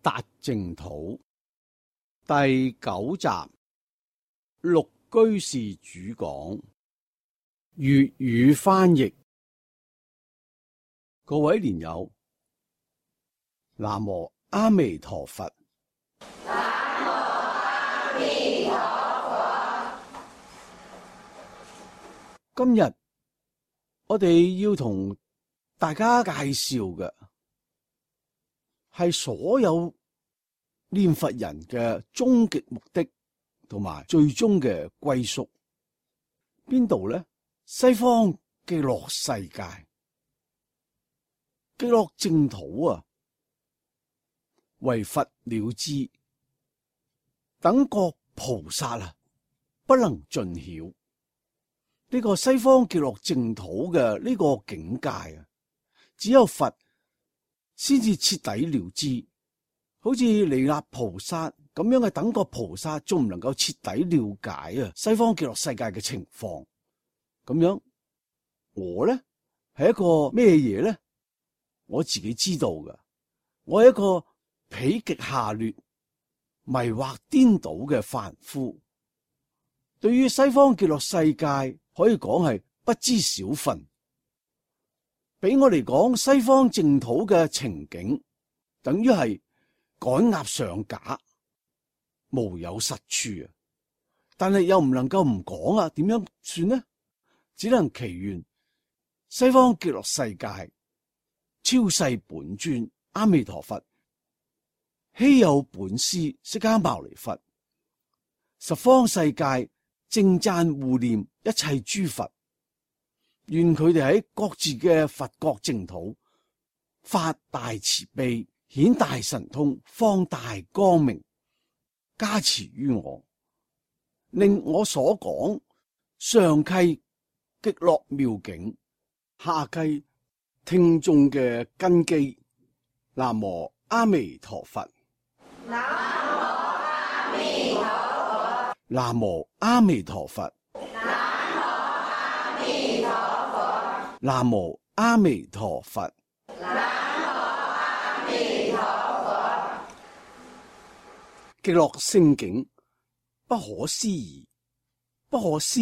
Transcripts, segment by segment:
達淨土第9集，陸居士主講，粵語翻譯。各位蓮友，南無阿彌陀佛。南無阿彌陀佛。今日我哋要同大家介紹嘅係所有念佛人嘅終極目的同埋最終嘅歸宿，邊度呢？西方極樂世界，極樂淨土啊，為佛了知，等覺菩薩啊，不能盡曉。呢個西方極樂淨土嘅呢個境界啊，只有佛先至徹底了知。好似彌勒菩薩咁樣嘅等覺菩薩，仲唔能夠徹底了解啊西方極樂世界嘅情況。咁樣我呢係一個咩嘢呢？我自己知道嘅，我係一個否極下劣、迷惑顛倒嘅凡夫。對於西方極樂世界，可以講係不知小分。俾我嚟講，西方淨土嘅情景，等於係趕鴨上架，無有實處啊！但係又唔能夠唔講啊，點樣算呢？只能祈願西方極樂世界超世本尊阿彌陀佛，稀有本師釋迦牟尼佛，十方世界正讚護念一切諸佛，願佢哋喺各自嘅佛國淨土發大慈悲，顯大神通，放大光明，加持於我，令我所講上契極樂妙境，下契聽眾嘅根基。南無阿彌陀佛。南無阿彌陀佛。南無阿彌陀佛。南無阿彌陀佛。南無阿彌陀佛。南無阿彌陀佛。極樂聖境不可思議，不可思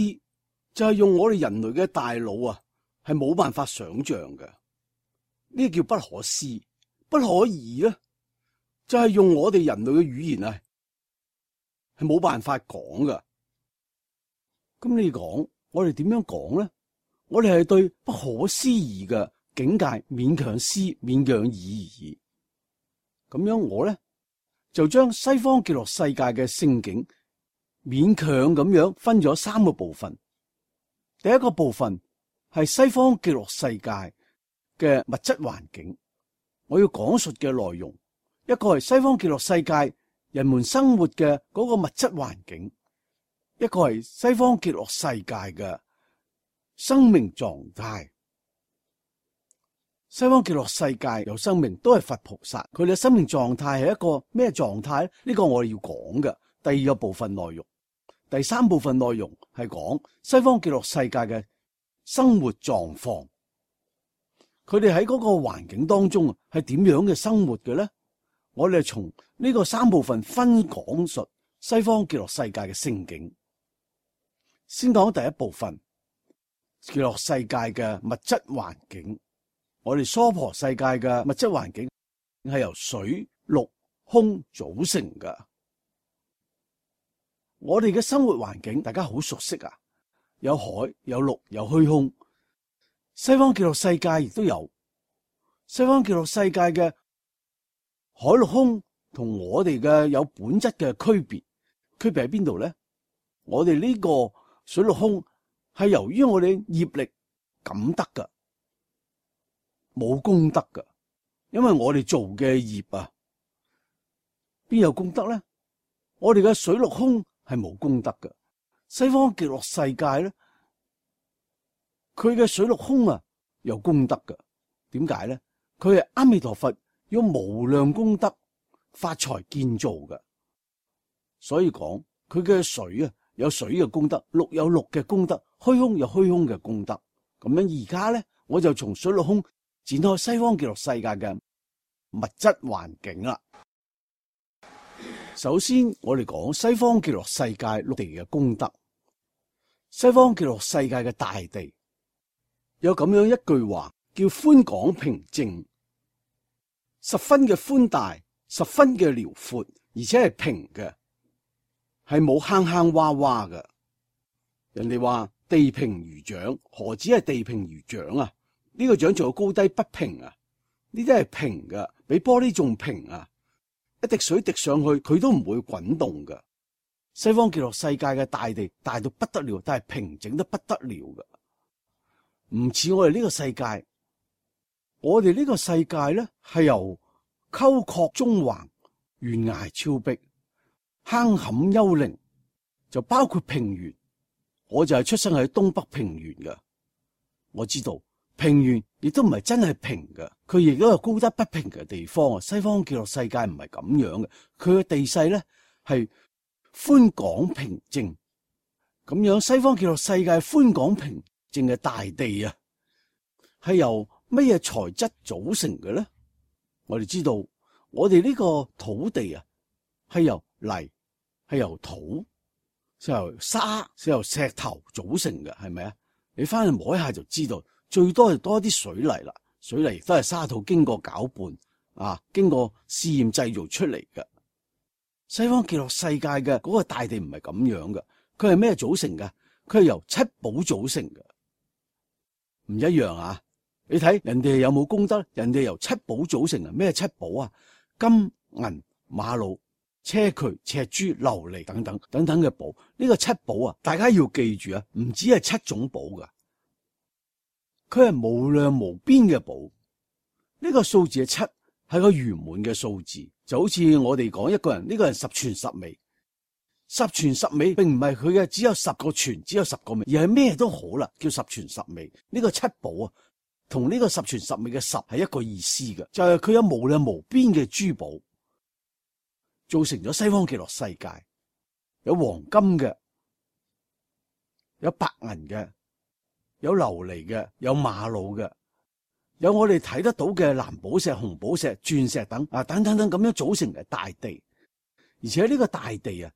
就係用我哋人類嘅大腦啊，係冇辦法想象嘅。呢叫不可思，不可議咧，就係用我哋人類嘅語言啊，係冇辦法講噶。咁你講，我哋點樣講咧？我哋係對不可思議嘅境界勉強思、勉強議而已。咁樣我咧就將西方極樂世界嘅聖境勉強咁樣分咗3個部分。第一個部分係西方極樂世界嘅物質環境，我要講述嘅內容，一個係西方極樂世界人們生活嘅嗰個物質環境，一個係西方極樂世界嘅生命狀態。西方極樂世界有生命，都係佛菩薩，佢哋嘅生命狀態係一個咩狀態？呢個我哋要講嘅第二個部分內容。第3部分內容係講西方極樂世界嘅生活狀況，佢哋喺嗰個環境當中係點樣嘅生活嘅咧？我哋從呢個3部分分講述西方極樂世界嘅聖境。先講第一部分，極樂世界嘅物質環境。我哋娑婆世界嘅物質環境係由水、陸、空組成嘅。我哋嘅生活環境大家好熟悉啊，有海、有陸、有虛空。西方極樂世界亦都有。西方極樂世界嘅海陸空同我哋嘅有本質嘅區別，區別喺邊度咧？我哋呢個水陸空係由於我哋業力感得噶，冇功德噶，因為我哋做嘅業啊，邊有功德咧？我哋嘅水陸空係冇功德嘅。西方極樂世界咧，佢嘅水陸空啊有功德嘅。點解咧？佢係阿彌陀佛用無量功德發財建造嘅，所以講佢嘅水啊有水嘅功德，陸有陸嘅功德，虛空有虛空嘅功德。咁樣而家咧，我就從水陸空展開西方極樂世界嘅物質環境啦。首先，我哋講西方極樂世界陸地嘅功德。西方極樂世界嘅大地有咁樣一句話，叫寬廣平靜，十分嘅寬大，十分嘅遼闊，而且係平嘅，係冇坑坑洼洼嘅。人哋話地平如掌，何止係地平如掌啊？呢個掌仲有高低不平啊？呢啲係平嘅，比玻璃仲平啊！一滴水滴上去，佢都唔會滾動嘅。西方極樂世界嘅大地大到不得了，但係平整得不得了嘅，唔似我哋呢個世界。我哋呢個世界咧係由溝壑縱橫、懸崖峭壁、坑坎幽靈，就包括平原。我就係出生喺東北平原嘅，我知道平原亦都唔係真係平嘅，佢亦都有高低不平嘅地方啊。西方極樂世界唔係咁樣嘅，佢嘅地勢咧係寬廣平靜，咁樣西方極樂世界寬廣平靜嘅大地啊，係由乜嘢材質組成嘅咧？我哋知道，我哋呢個土地啊，係由泥、係由土、係由沙、係由石頭組成嘅，係咪啊？你翻去摸一下就知道，最多就多啲水泥啦。水泥亦都係沙土經過攪拌啊，經過試驗製造出嚟嘅。西方極樂世界嘅嗰個大地唔係咁樣嘅，佢係咩組成嘅？佢係由七寶組成嘅，唔一樣啊！你睇人哋有冇功德？人哋由七寶組成啊！咩七寶啊？金銀瑪瑙硨磲赤珠琉璃等等等等嘅寶。呢個七寶啊，大家要記住啊，唔止係七種寶噶，佢係無量無邊嘅寶。呢個數字嘅七係個圓滿嘅數字，就好似我哋講一個人，呢個人十全十美。十全十美並唔係佢嘅只有10個全，只有10個美，而係咩都好啦，叫十全十美。呢個七寶啊，同呢個十全十美嘅十係一個意思嘅，就係佢有無量無邊嘅珠寶，造成咗西方極樂世界。有黃金嘅，有白銀嘅，有琉璃嘅，有瑪瑙嘅，有我哋睇得到嘅藍寶石、紅寶石、鑽石等啊，等等等咁樣組成嘅大地。而且呢個大地啊，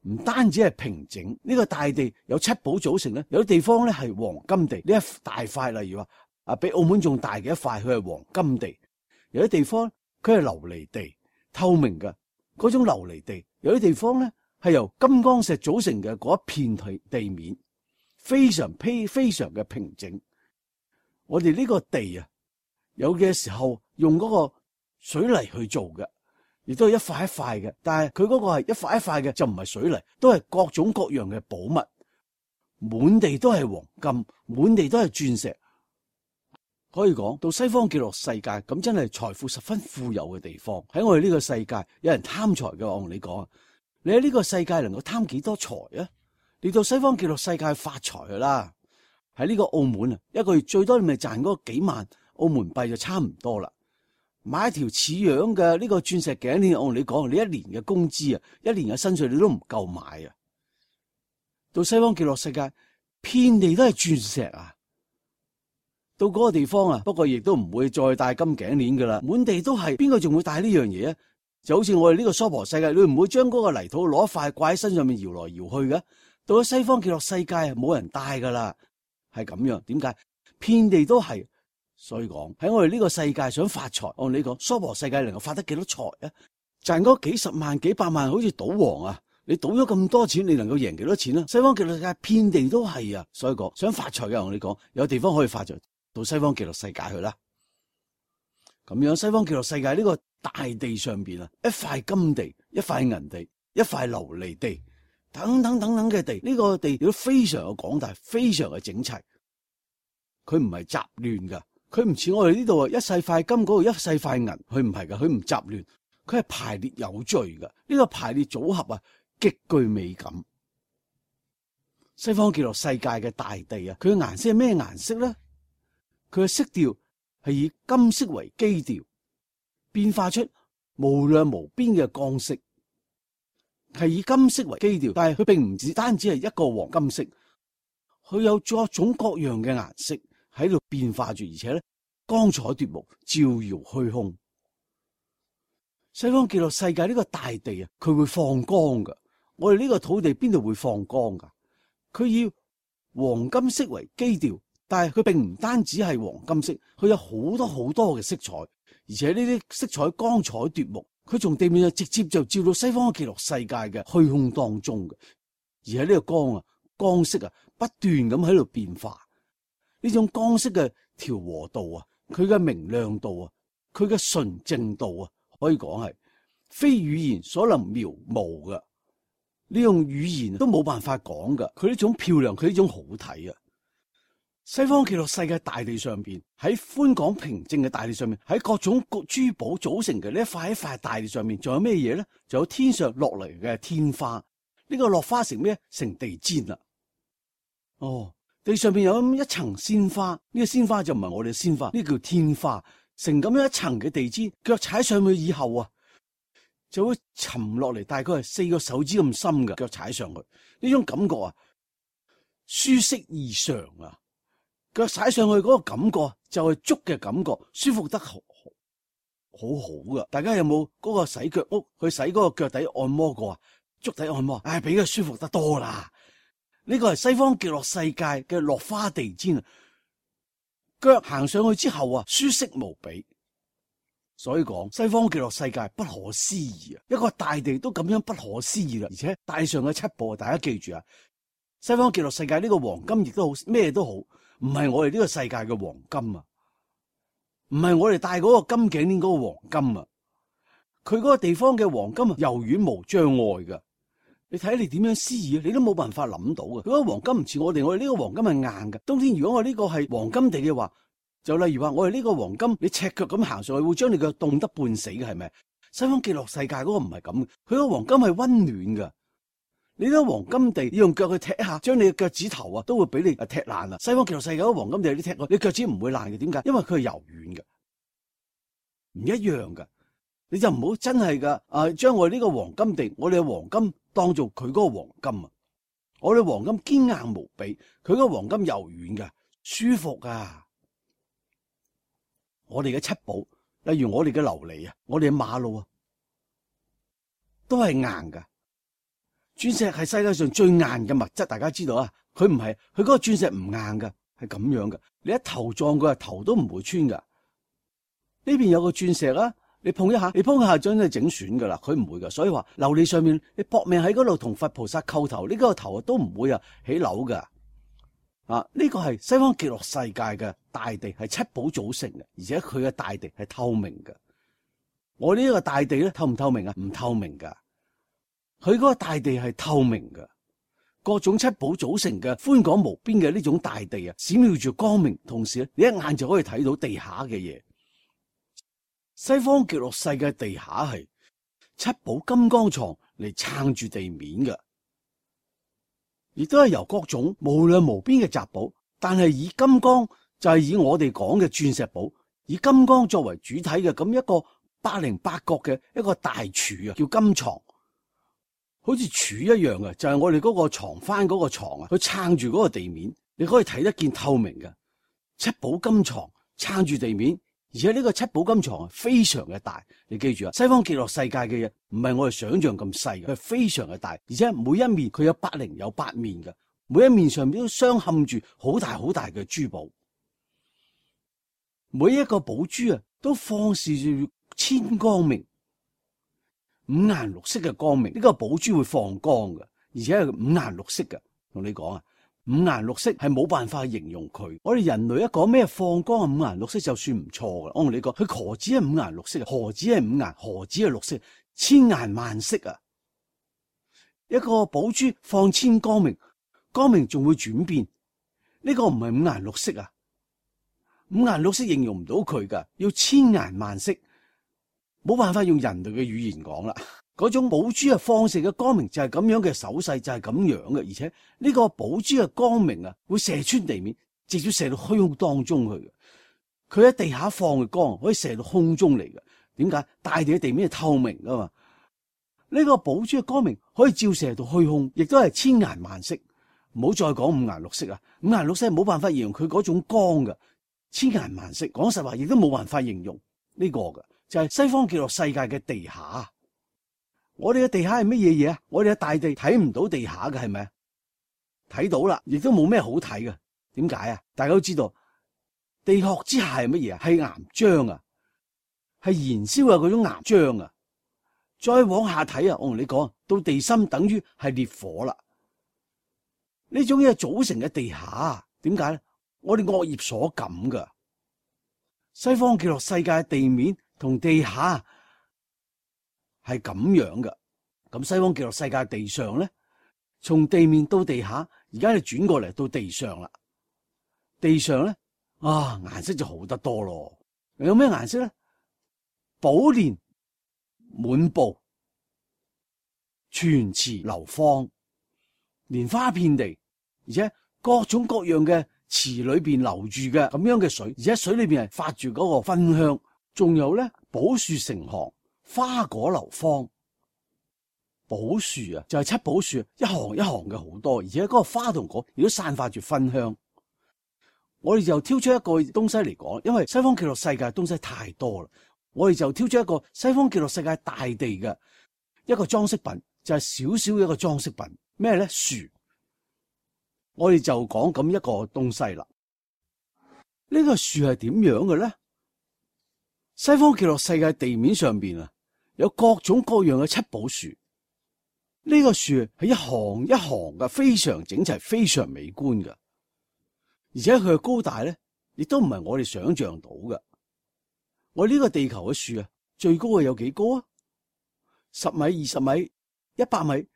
唔單止係平整，呢個大地有七寶組成咧，有啲地方咧係黃金地，呢一大塊，例如話啊，比澳門仲大嘅一塊，佢係黃金地；有啲地方佢係琉璃地，透明嘅嗰種琉璃地；有啲地方咧係由金剛石組成嘅嗰一片地面，非常嘅平整。我哋呢個地啊，有嘅時候用嗰個水泥去做嘅。亦都係一塊一塊嘅，但係佢嗰個係一塊一塊嘅，就唔係水泥，都係各種各樣嘅寶物，滿地都係黃金，滿地都係鑽石。可以講到西方極樂世界，咁真係財富十分富有嘅地方。喺我哋呢個世界，有人貪財嘅，我同你講啊，你喺呢個世界能夠貪幾多財啊？你到西方極樂世界發財噶啦。喺呢個澳門啊，一個月最多你咪賺嗰幾萬澳門幣就差唔多啦。買一條似樣嘅呢個鑽石頸鏈，我同你講，你一年嘅工資啊，一年嘅薪水你都唔夠買啊！到西方極樂世界，遍地都係鑽石啊！到嗰個地方啊，不過亦都唔會再戴金頸鏈噶啦，滿地都係，邊個仲會戴呢樣嘢啊？就好似我哋呢個娑婆世界，你唔會將嗰個泥土攞一塊掛喺身上面搖來搖去嘅。到咗西方極樂世界，冇人戴噶啦，係咁樣。點解？遍地都係。所以講喺我哋呢個世界想發財，我同你講，娑婆世界能夠發得幾多財啊？賺嗰幾十萬、幾百萬，好似賭王啊！你賭咗咁多錢，你能夠贏幾多錢啊？西方極樂世界遍地都係啊！所以講想發財嘅，我同你講，有地方可以發財，到西方極樂世界去啦。咁樣西方極樂世界呢個大地上邊啊，一塊金地、一塊銀地、一塊琉璃地，等等等等嘅地，呢個地亦都非常嘅廣大，非常嘅整齊，佢唔係雜亂噶。佢唔似我哋呢度啊，一細塊金嗰度一細塊銀，佢唔係噶，佢唔雜亂，佢係排列有序噶。呢個排列組合啊，極具美感。西方極樂世界嘅大地啊，佢嘅顏色係咩顏色咧？佢嘅色調係以金色為基調，變化出無量無邊嘅光色，係以金色為基調，但係佢並唔止單止係一個黃金色，佢有各種各樣嘅顏色喺度變化住，而且咧光彩奪目，照耀虛空。西方極樂世界呢個大地啊，佢會放光噶。我哋呢個土地邊度會放光噶？佢以黃金色為基調，但係佢並唔單止係黃金色，佢有好多好多嘅色彩，而且呢啲色彩光彩奪目。佢從地面上直接就照到西方極樂世界嘅虛空當中嘅，而喺呢個光色啊，不斷咁喺度變化。呢種光色嘅調和度啊，佢嘅明亮度啊，佢嘅純淨度啊，可以講係非語言所能描摹嘅。呢種語言都冇辦法講噶。佢呢種漂亮，佢呢種好睇啊！西方極樂世界大地上邊，喺寬廣平靜嘅大地上面，喺各種珠寶組成嘅呢一塊大地上面，仲有咩嘢咧？仲有天上落嚟嘅天花。呢個落花成咩？成地氈啦。哦，地上邊有一層鮮花，呢個鮮花就唔係我哋嘅鮮花，呢叫天花。成咁樣一層嘅地氈，腳踩上去以後啊，就會沉落嚟，大概係4個手指咁深嘅腳踩上去。呢種感覺啊，舒適異常啊！腳踩上去嗰個感覺就係足嘅感覺，舒服得好噶。大家有冇嗰個洗腳屋去洗嗰個腳底按摩過啊？足底按摩，比佢舒服得多啦。呢個係西方極樂世界嘅落花地氈啊，腳行上去之後啊，舒適無比。所以講西方極樂世界不可思議啊！一個大地都咁樣不可思議啦，而且大上嘅7寶，大家記住啊！西方極樂世界呢個黃金亦都好，咩都好。唔係我哋呢個世界嘅黃金啊，唔係我哋戴嗰個金頸鏈嗰個黃金啊，佢嗰個地方嘅黃金啊，柔軟無障礙噶。你睇你點樣思議啊，你都冇辦法諗到嘅。嗰個黃金唔似我哋呢個黃金係硬嘅。冬天如果我呢個係黃金地嘅話，就例如話我哋呢個黃金，你赤腳咁行上去會將你腳凍得半死嘅，係咪？西方極樂世界嗰個唔係咁嘅，佢個黃金係溫暖噶。你睇黃金地，你用腳去踢一下，將你嘅腳趾頭啊，都會俾你踢爛啊！西方極樂世界嗰黃金地，你踢過，你腳趾唔會爛嘅。點解？因為佢係柔軟嘅，唔一樣嘅。你就唔好真係噶將我哋呢個黃金地，我哋嘅黃金當做佢嗰個黃金啊！我哋黃金堅硬無比，佢嗰個黃金柔軟嘅，舒服啊！我哋嘅7寶，例如我哋嘅琉璃啊，我哋嘅瑪瑙啊，都係硬噶。鑽石係世界上最硬嘅物質，大家知道啊？佢唔係，佢嗰個鑽石唔硬噶，係咁樣噶。你一頭撞佢，頭都唔會穿噶。呢邊有個鑽石啊，你碰一下，你碰一下將你整損噶啦，佢唔會噶。所以話琉璃上面，你搏命喺嗰度同佛菩薩叩頭，呢個頭都唔會起樓噶。呢個係西方極樂世界嘅大地，係7寶組成嘅，而且佢嘅大地係透明嘅。我呢個大地咧，透唔透明啊？唔透明噶。佢嗰個大地係透明嘅，各種7寶組成嘅寬廣無邊嘅呢種大地啊，閃耀住光明，同時咧，你一眼就可以睇到地下嘅嘢。西方極樂世界地下係7寶金剛床嚟撐住地面嘅，亦都係由各種無量無邊嘅雜寶，但係以金剛就係以我哋講嘅鑽石寶，以金剛作為主體嘅咁一個808角嘅一個大柱啊，叫金床。好似柱一樣嘅，就係我哋嗰個床翻嗰個床啊，佢撐住嗰個地面，你可以睇得見透明嘅7寶金床撐住地面，而且呢個7寶金床係非常嘅大。你記住啊，西方極樂世界嘅嘢唔係我哋想象咁細嘅，佢係非常嘅大，而且每一面佢有80有8面嘅，每一面上面都鑲嵌住好大好大嘅珠寶，每一個寶珠啊都放射住千光明。5顏6色嘅光明，呢個寶珠會放光嘅，而且係5顏6色嘅。同你講啊，5顏6色係冇辦法形容佢。我哋人類一講咩放光5顏6色就算唔錯噶。我同你講，佢何止係5顏6色，何止係5顏，何止係6色，千顏萬色啊！一個寶珠放千光明，光明仲會轉變。呢個唔係5顏6色啊，5顏6色形容唔到佢噶，要千顏萬色。冇辦法用人類嘅語言講啦，嗰種寶珠放射嘅光明就係咁樣嘅手勢，就係咁樣嘅，而且呢個寶珠嘅光明啊，會射穿地面，直接射到虛空當中去嘅。佢喺地下放嘅光可以射到空中嚟嘅。點解？大地嘅地面係透明噶嘛？呢個寶珠嘅光明可以照射到虛空，亦都係千顏萬色。唔好再講5顏6色啊，5顏6色係冇辦法形容佢嗰種光嘅，千顏萬色。講實話，亦都冇辦法形容呢個嘅。就係西方極樂世界嘅地下。我哋嘅地下係乜嘢嘢啊？我哋嘅大地睇唔到地下嘅，係咪啊？睇到啦，亦都冇咩好睇嘅。點解啊？大家都知道地殼之下係乜嘢啊？係岩漿啊，係燃燒嘅嗰種岩漿啊。再往下睇啊，我同你講，到地心等於係烈火啦。呢種嘢組成嘅地下，點解咧？我哋惡業所感噶。西方極樂世界嘅地面同地下係咁樣嘅。咁西方極樂世界嘅地上咧，從地面到地下，而家你轉過嚟到地上啦。地上咧，顏色就好得多咯。有咩顏色咧？寶蓮滿布，泉池流芳，蓮花遍地，而且各種各樣嘅池裏邊流住嘅咁樣嘅水，而且水裏邊係發住嗰個芬香，仲有咧寶樹成行，花果流芳。寶樹啊，就係七寶樹，一行一行嘅好多，而且嗰個花同果亦都散發住芬香。我哋就挑出一個東西嚟講，因為西方極樂世界嘅東西太多啦，我哋就挑出一個西方極樂世界大地嘅一個裝飾品，就係少少嘅一個裝飾品。咩咧？樹。我哋就講咁一個東西啦。呢個樹係點樣嘅咧？西方極樂世界地面上邊啊，有各種各樣嘅七寶樹。呢個樹係一行一行嘅，非常整齊，非常美觀嘅。而且佢嘅高大咧，亦都唔係我哋想象到嘅。我呢個地球嘅樹啊，最高係有幾高啊？10米、20米、100米、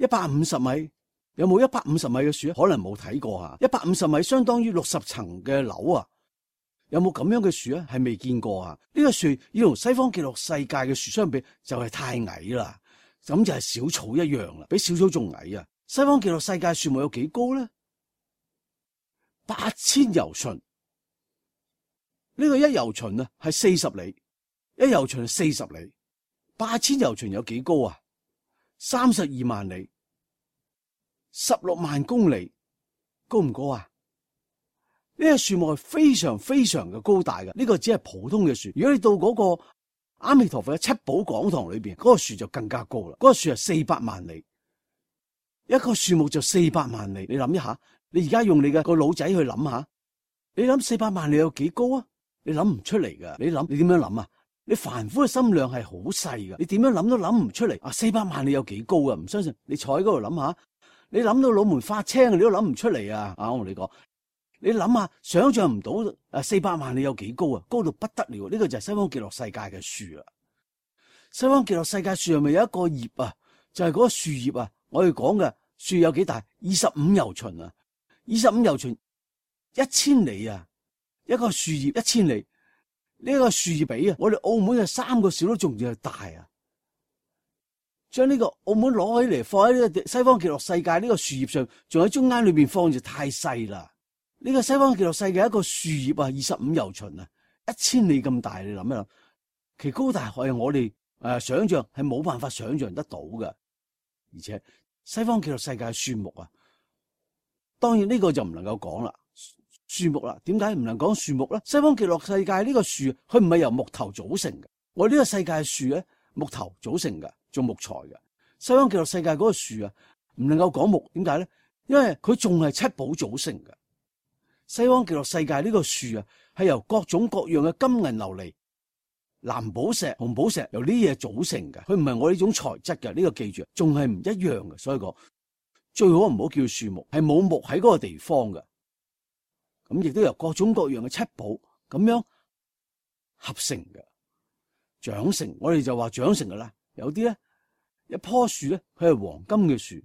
150米，有冇150米嘅樹啊？可能冇睇過啊。150米相當於60層嘅樓啊，有冇咁樣嘅樹啊？係未見過啊。呢個樹要同西方極樂世界嘅樹相比，就係太矮啦。咁就係小草一樣啦，比小草仲矮啊！西方極樂世界樹木有幾高咧？8000由旬，呢個一由旬啊係40里，一由旬係40里，8000由旬有幾高啊？32萬里，16萬公里，高唔高啊？呢個樹木係非常非常嘅高大嘅，呢個只係普通嘅樹。如果你到嗰個阿彌陀佛嘅七寶講堂裏邊，嗰個樹就更加高啦。嗰個樹係400萬里，一個樹木就400萬里。你諗一下，你而家用你嘅個腦仔去諗下，你諗400萬里有幾高啊？你諗唔出嚟噶。你點樣諗啊？你凡夫嘅心量係好細噶，你點樣諗都諗唔出嚟啊！400萬里有幾高啊？唔相信你坐喺嗰度諗下，你諗到腦門發青，你都諗唔出嚟啊！我同你講。你諗下，想象唔到400萬里有幾高啊？高到不得了！呢個就係西方極樂世界嘅樹啊！西方極樂世界樹係咪有一個葉啊？就係嗰個樹葉啊！我哋講嘅樹有幾大？25由旬啊！25由旬1000里啊！一個樹葉1000里，呢個樹葉比啊，我哋澳門嘅3個小都仲要大啊！將呢個澳門攞起嚟放喺呢個西方極樂世界呢個樹葉上，仲喺中間裏邊放就太細啦！呢個西方極樂世界一個樹葉啊，25由旬啊，1000里咁大，你諗一諗，其高大係我哋想象係冇辦法想象得到嘅。而且西方極樂世界嘅樹木啊，當然呢個就唔能夠講啦，樹木啦，點解唔能講樹木咧？西方極樂世界呢個樹，佢唔係由木頭組成嘅，我呢個世界嘅樹咧，木頭組成嘅，做木材嘅。西方極樂世界嗰個樹啊，唔能夠講木，點解咧？因為佢仲係七寶組成嘅。西方極樂世界呢個樹啊，係由各種各樣嘅金銀琉璃、藍寶石、紅寶石由呢啲嘢組成嘅，佢唔係我呢種材質嘅，呢個記住，仲係唔一樣嘅。所以講最好唔好叫樹木，係冇木喺嗰個地方嘅。咁亦都由各種各樣嘅七寶咁樣合成嘅，長成。我哋就話長成噶啦。有啲咧一棵樹咧，佢係黃金嘅樹。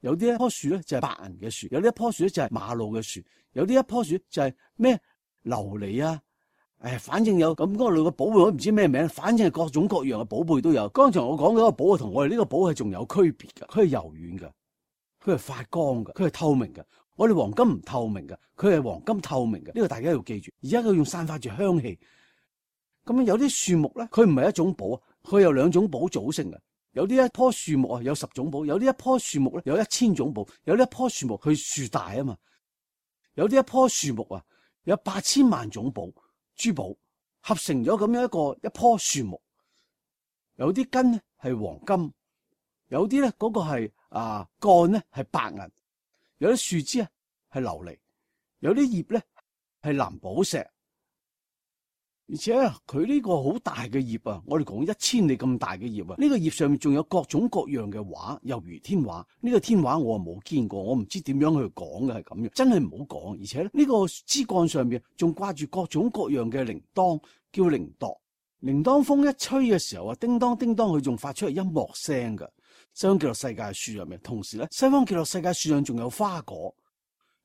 有啲一棵樹咧就係白銀嘅樹，有啲一棵樹咧就係瑪瑙嘅樹，有啲一棵樹就係咩琉璃啊，反正有咁嗰類嘅寶貝，我唔知咩名，反正係各種各樣嘅寶貝都有。剛才我講嗰個寶同我哋呢個寶係仲有區別嘅，佢係柔軟嘅，佢係發光嘅，佢係透明嘅。我哋黃金唔透明嘅，佢係黃金透明嘅，呢個大家要記住。而家佢用散發住香氣，咁有啲樹木咧，佢唔係一種寶，佢有2種寶組成嘅。有啲一棵樹木啊，有10種寶；有啲一棵樹木咧，有1000種寶；有啲一棵樹木佢樹大啊嘛；有啲一棵樹木啊，有8000萬種寶珠寶。合成咗咁樣一棵樹木，有啲根咧係黃金，有啲咧嗰個係幹咧係白銀，有啲樹枝啊係琉璃，有啲葉咧係藍寶石，而且佢呢個好大嘅葉啊，我哋講1000里咁大嘅葉啊，呢個葉上面仲有各種各樣嘅畫，猶如天畫。呢個天畫我冇見過，我唔知點樣去講嘅係咁樣，真係唔好講。而且呢個枝幹上面仲掛住各種各樣嘅鈴鐺，叫鈴鐺。鈴鐺風一吹嘅時候啊，叮當叮當，佢仲發出嚟音樂聲㗎。西方極樂世界樹入面，同時咧，西方極樂世界樹上仲有花果，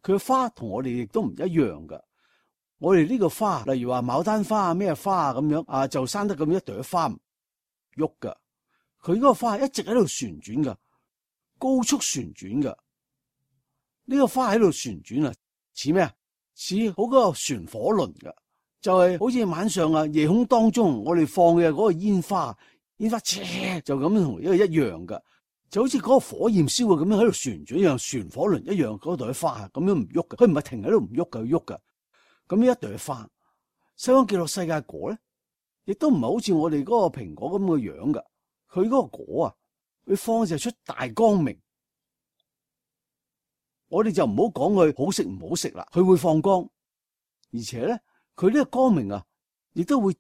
佢嘅花同我哋亦都唔一樣㗎。我哋呢個花，例如話牡丹花啊，咩花啊咁樣就生得咁一朵花唔喐㗎。佢嗰個花一直喺度旋轉㗎，高速旋轉㗎。呢個花喺度旋轉啊，似咩啊？似好嗰個旋火輪㗎。就係好似晚上夜空當中我哋放嘅嗰個煙花就咁同一樣噶，就好似嗰個火焰燒嘅咁樣喺度旋轉一樣，旋火輪一樣，嗰朵花咁樣唔喐嘅，佢唔係停喺度唔喐嘅，佢喐噶。咁一朵花，西方極樂世界果咧，亦都唔係好似我哋嗰個蘋果咁嘅樣噶，佢嗰個果啊，佢放射出大光明。我哋就唔好講佢好食唔好食啦，佢會放光，而且咧。佢呢個光明啊，亦都會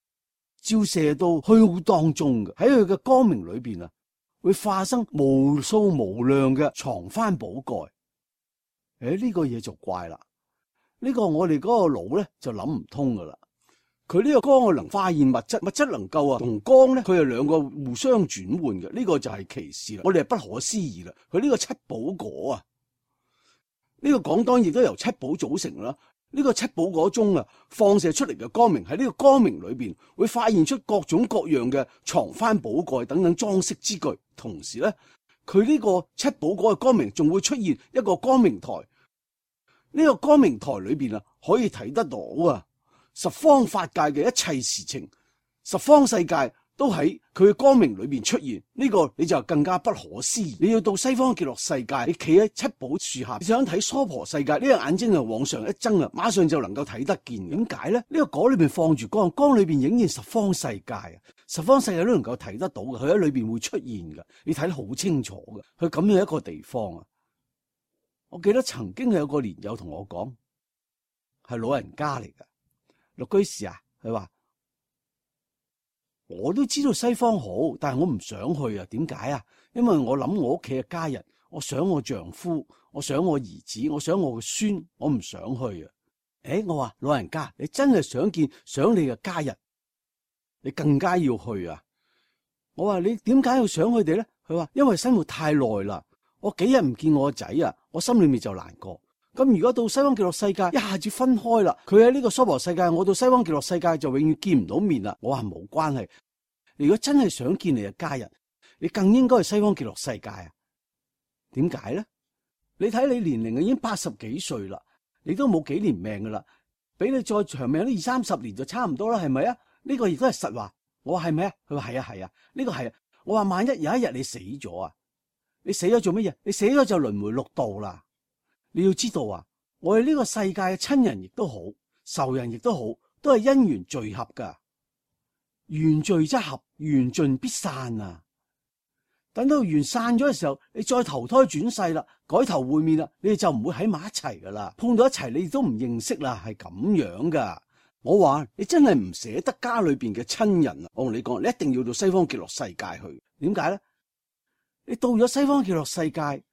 照射到虛空當中嘅，喺佢嘅光明裏邊啊，會化生無數無量嘅藏幡寶蓋。呢個嘢就怪啦，呢個我哋嗰個腦咧就諗唔通噶啦。佢呢個光能化現物質，物質能夠同光咧，佢係兩個互相轉換嘅，呢個就係奇事啦。我哋係不可思議啦。佢呢個七寶果啊，呢個講當然亦都由七寶組成啦。呢個七寶果中啊，放射出嚟嘅光明喺呢個光明裏邊會發現出各種各樣嘅藏幡寶蓋等等裝飾之具。同時咧，佢呢個七寶果嘅光明仲會出現一個光明台。呢個光明台裏邊啊，可以睇得到十方法界嘅一切事情，十方世界都喺佢嘅光明裏邊出現。呢個你就更加不可思議。你要到西方極樂世界，你企喺七寶樹下，你想睇娑婆世界，呢個眼睛就往上一睜啊，馬上就能夠睇得見。點解咧？呢個果裏邊放住光，光裏邊影現十方世界啊，十方世界都能夠睇得到嘅，佢喺裏邊會出現嘅，你睇得好清楚嘅。佢咁樣一個地方啊，我記得曾經有個蓮友同我講，係老人家嚟噶，陸居士啊，佢話。我都知道西方好，但係我唔想去啊。點解啊？因為我諗我屋企嘅家人，我想我丈夫，我想我兒子，我想我嘅孫，我唔想去啊。我話老人家，你真係想你嘅家人，你更加要去啊。我話你點解要想佢哋咧？佢話因為生活太耐啦，我幾日唔見我個仔啊，我心裏面就難過。咁如果到西方極樂世界一下子分開啦，佢喺呢個娑婆世界，我到西方極樂世界就永遠見唔到面啦。我話冇關係，你如果真係想見你嘅家人，你更應該去西方極樂世界啊。點解咧？你睇你年齡已經80幾歲啦，你都冇幾年命噶啦，俾你再長命都20-30年就差唔多啦，係咪啊？呢個亦都係實話。我話係咪啊？佢話係啊係啊，呢個係啊。我話萬一有一日你死咗啊，你死咗做乜嘢？你死咗就輪迴六道啦。你要知道啊，我哋呢個世界嘅親人亦都好，仇人亦都好，都係因緣聚合噶。緣聚則合，緣盡必散啊！等到緣散咗嘅時候，你再投胎轉世啦，改頭換面啦，你哋就唔會喺埋一齊噶啦。碰到一齊，你哋都唔認識啦，係咁樣噶。我話你真係唔捨得家裏邊嘅親人啊！我同你講，你一定要到西方極樂世界去。點解咧？你到咗西方極樂世界。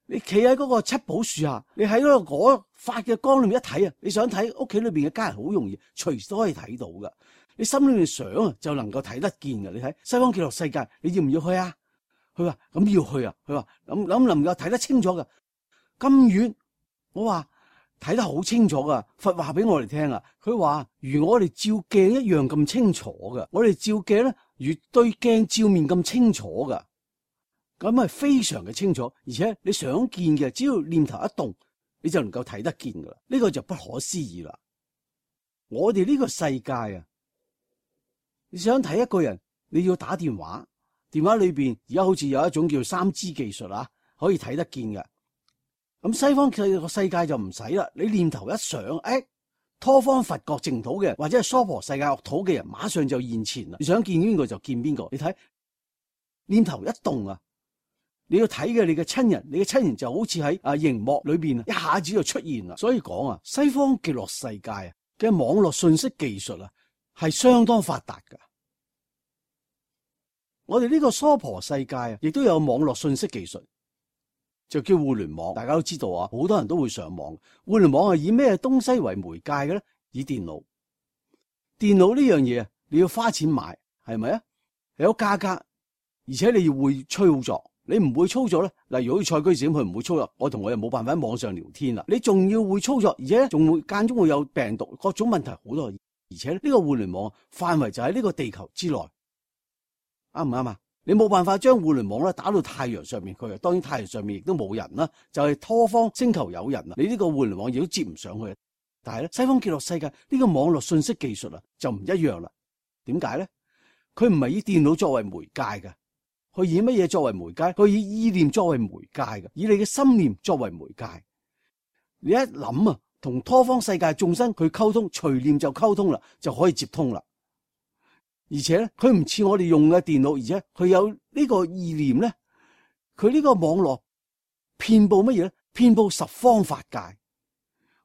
你企喺嗰個七寶樹下，你喺嗰個果發嘅光裏面一睇啊，你想睇屋企裏邊嘅家人好容易，隨時都可以睇到噶。你心裏面想啊，就能夠睇得見噶。你睇西方極樂世界，你要唔要去啊？佢話咁要去啊。佢話諗能夠睇得清楚噶，咁遠。我話睇得好清楚噶。佛話俾我哋聽啊，佢話如我哋照鏡一樣咁清楚噶。我哋照鏡咧，如對鏡照面咁清楚噶。咁係非常嘅清楚，而且你想見嘅，只要念頭一動，你就能夠睇得見噶啦。呢個就不可思議啦。我哋呢個世界啊，你想睇一個人，你要打電話，電話裏邊而家好似有一種叫 3G 技術啊，可以睇得見嘅。咁西方嘅世界就唔使啦，你念頭一想，拖方佛國淨土嘅人，或者係娑婆世界惡土嘅人，馬上就現前啦。你想見邊個就見邊個。你睇念頭一動啊，你要睇嘅你嘅親人，你嘅親人就好似喺熒幕裏邊一下子就出現啦。所以講啊，西方極樂世界啊嘅網絡信息技術啊係相當發達噶。我哋呢個娑婆世界啊，亦都有網絡信息技術，就叫互聯網。大家都知道啊，好多人都會上網。互聯網係以咩東西為媒介嘅咧？以電腦。電腦呢樣嘢啊，你要花錢買，係咪啊？有價格，而且你要會操作。你唔會操作咧，例如好似蔡居士咁，佢唔會操作，我同我又冇辦法喺網上聊天啦。你仲要會操作，而且仲會間中會有病毒，各種問題好多。而且呢個互聯網範圍就喺呢個地球之內，啱唔啱啊？你冇辦法將互聯網咧打到太陽上面去，當然太陽上面亦都冇人啦，就係拖方星球有人啦。你呢個互聯網亦都接唔上去。但係咧，西方極樂世界呢個網絡信息技術啊就唔一樣啦。點解咧？佢唔係以電腦作為媒介嘅。佢以乜嘢作為媒介？佢以意念作為媒介嘅，以你嘅心念作為媒介。你一諗啊，同拖方世界眾生佢溝通，隨念就溝通啦，就可以接通啦。而且咧，佢唔似我哋用嘅電腦，而且佢有呢個意念咧，佢呢個網絡遍布乜嘢咧？遍布十方法界。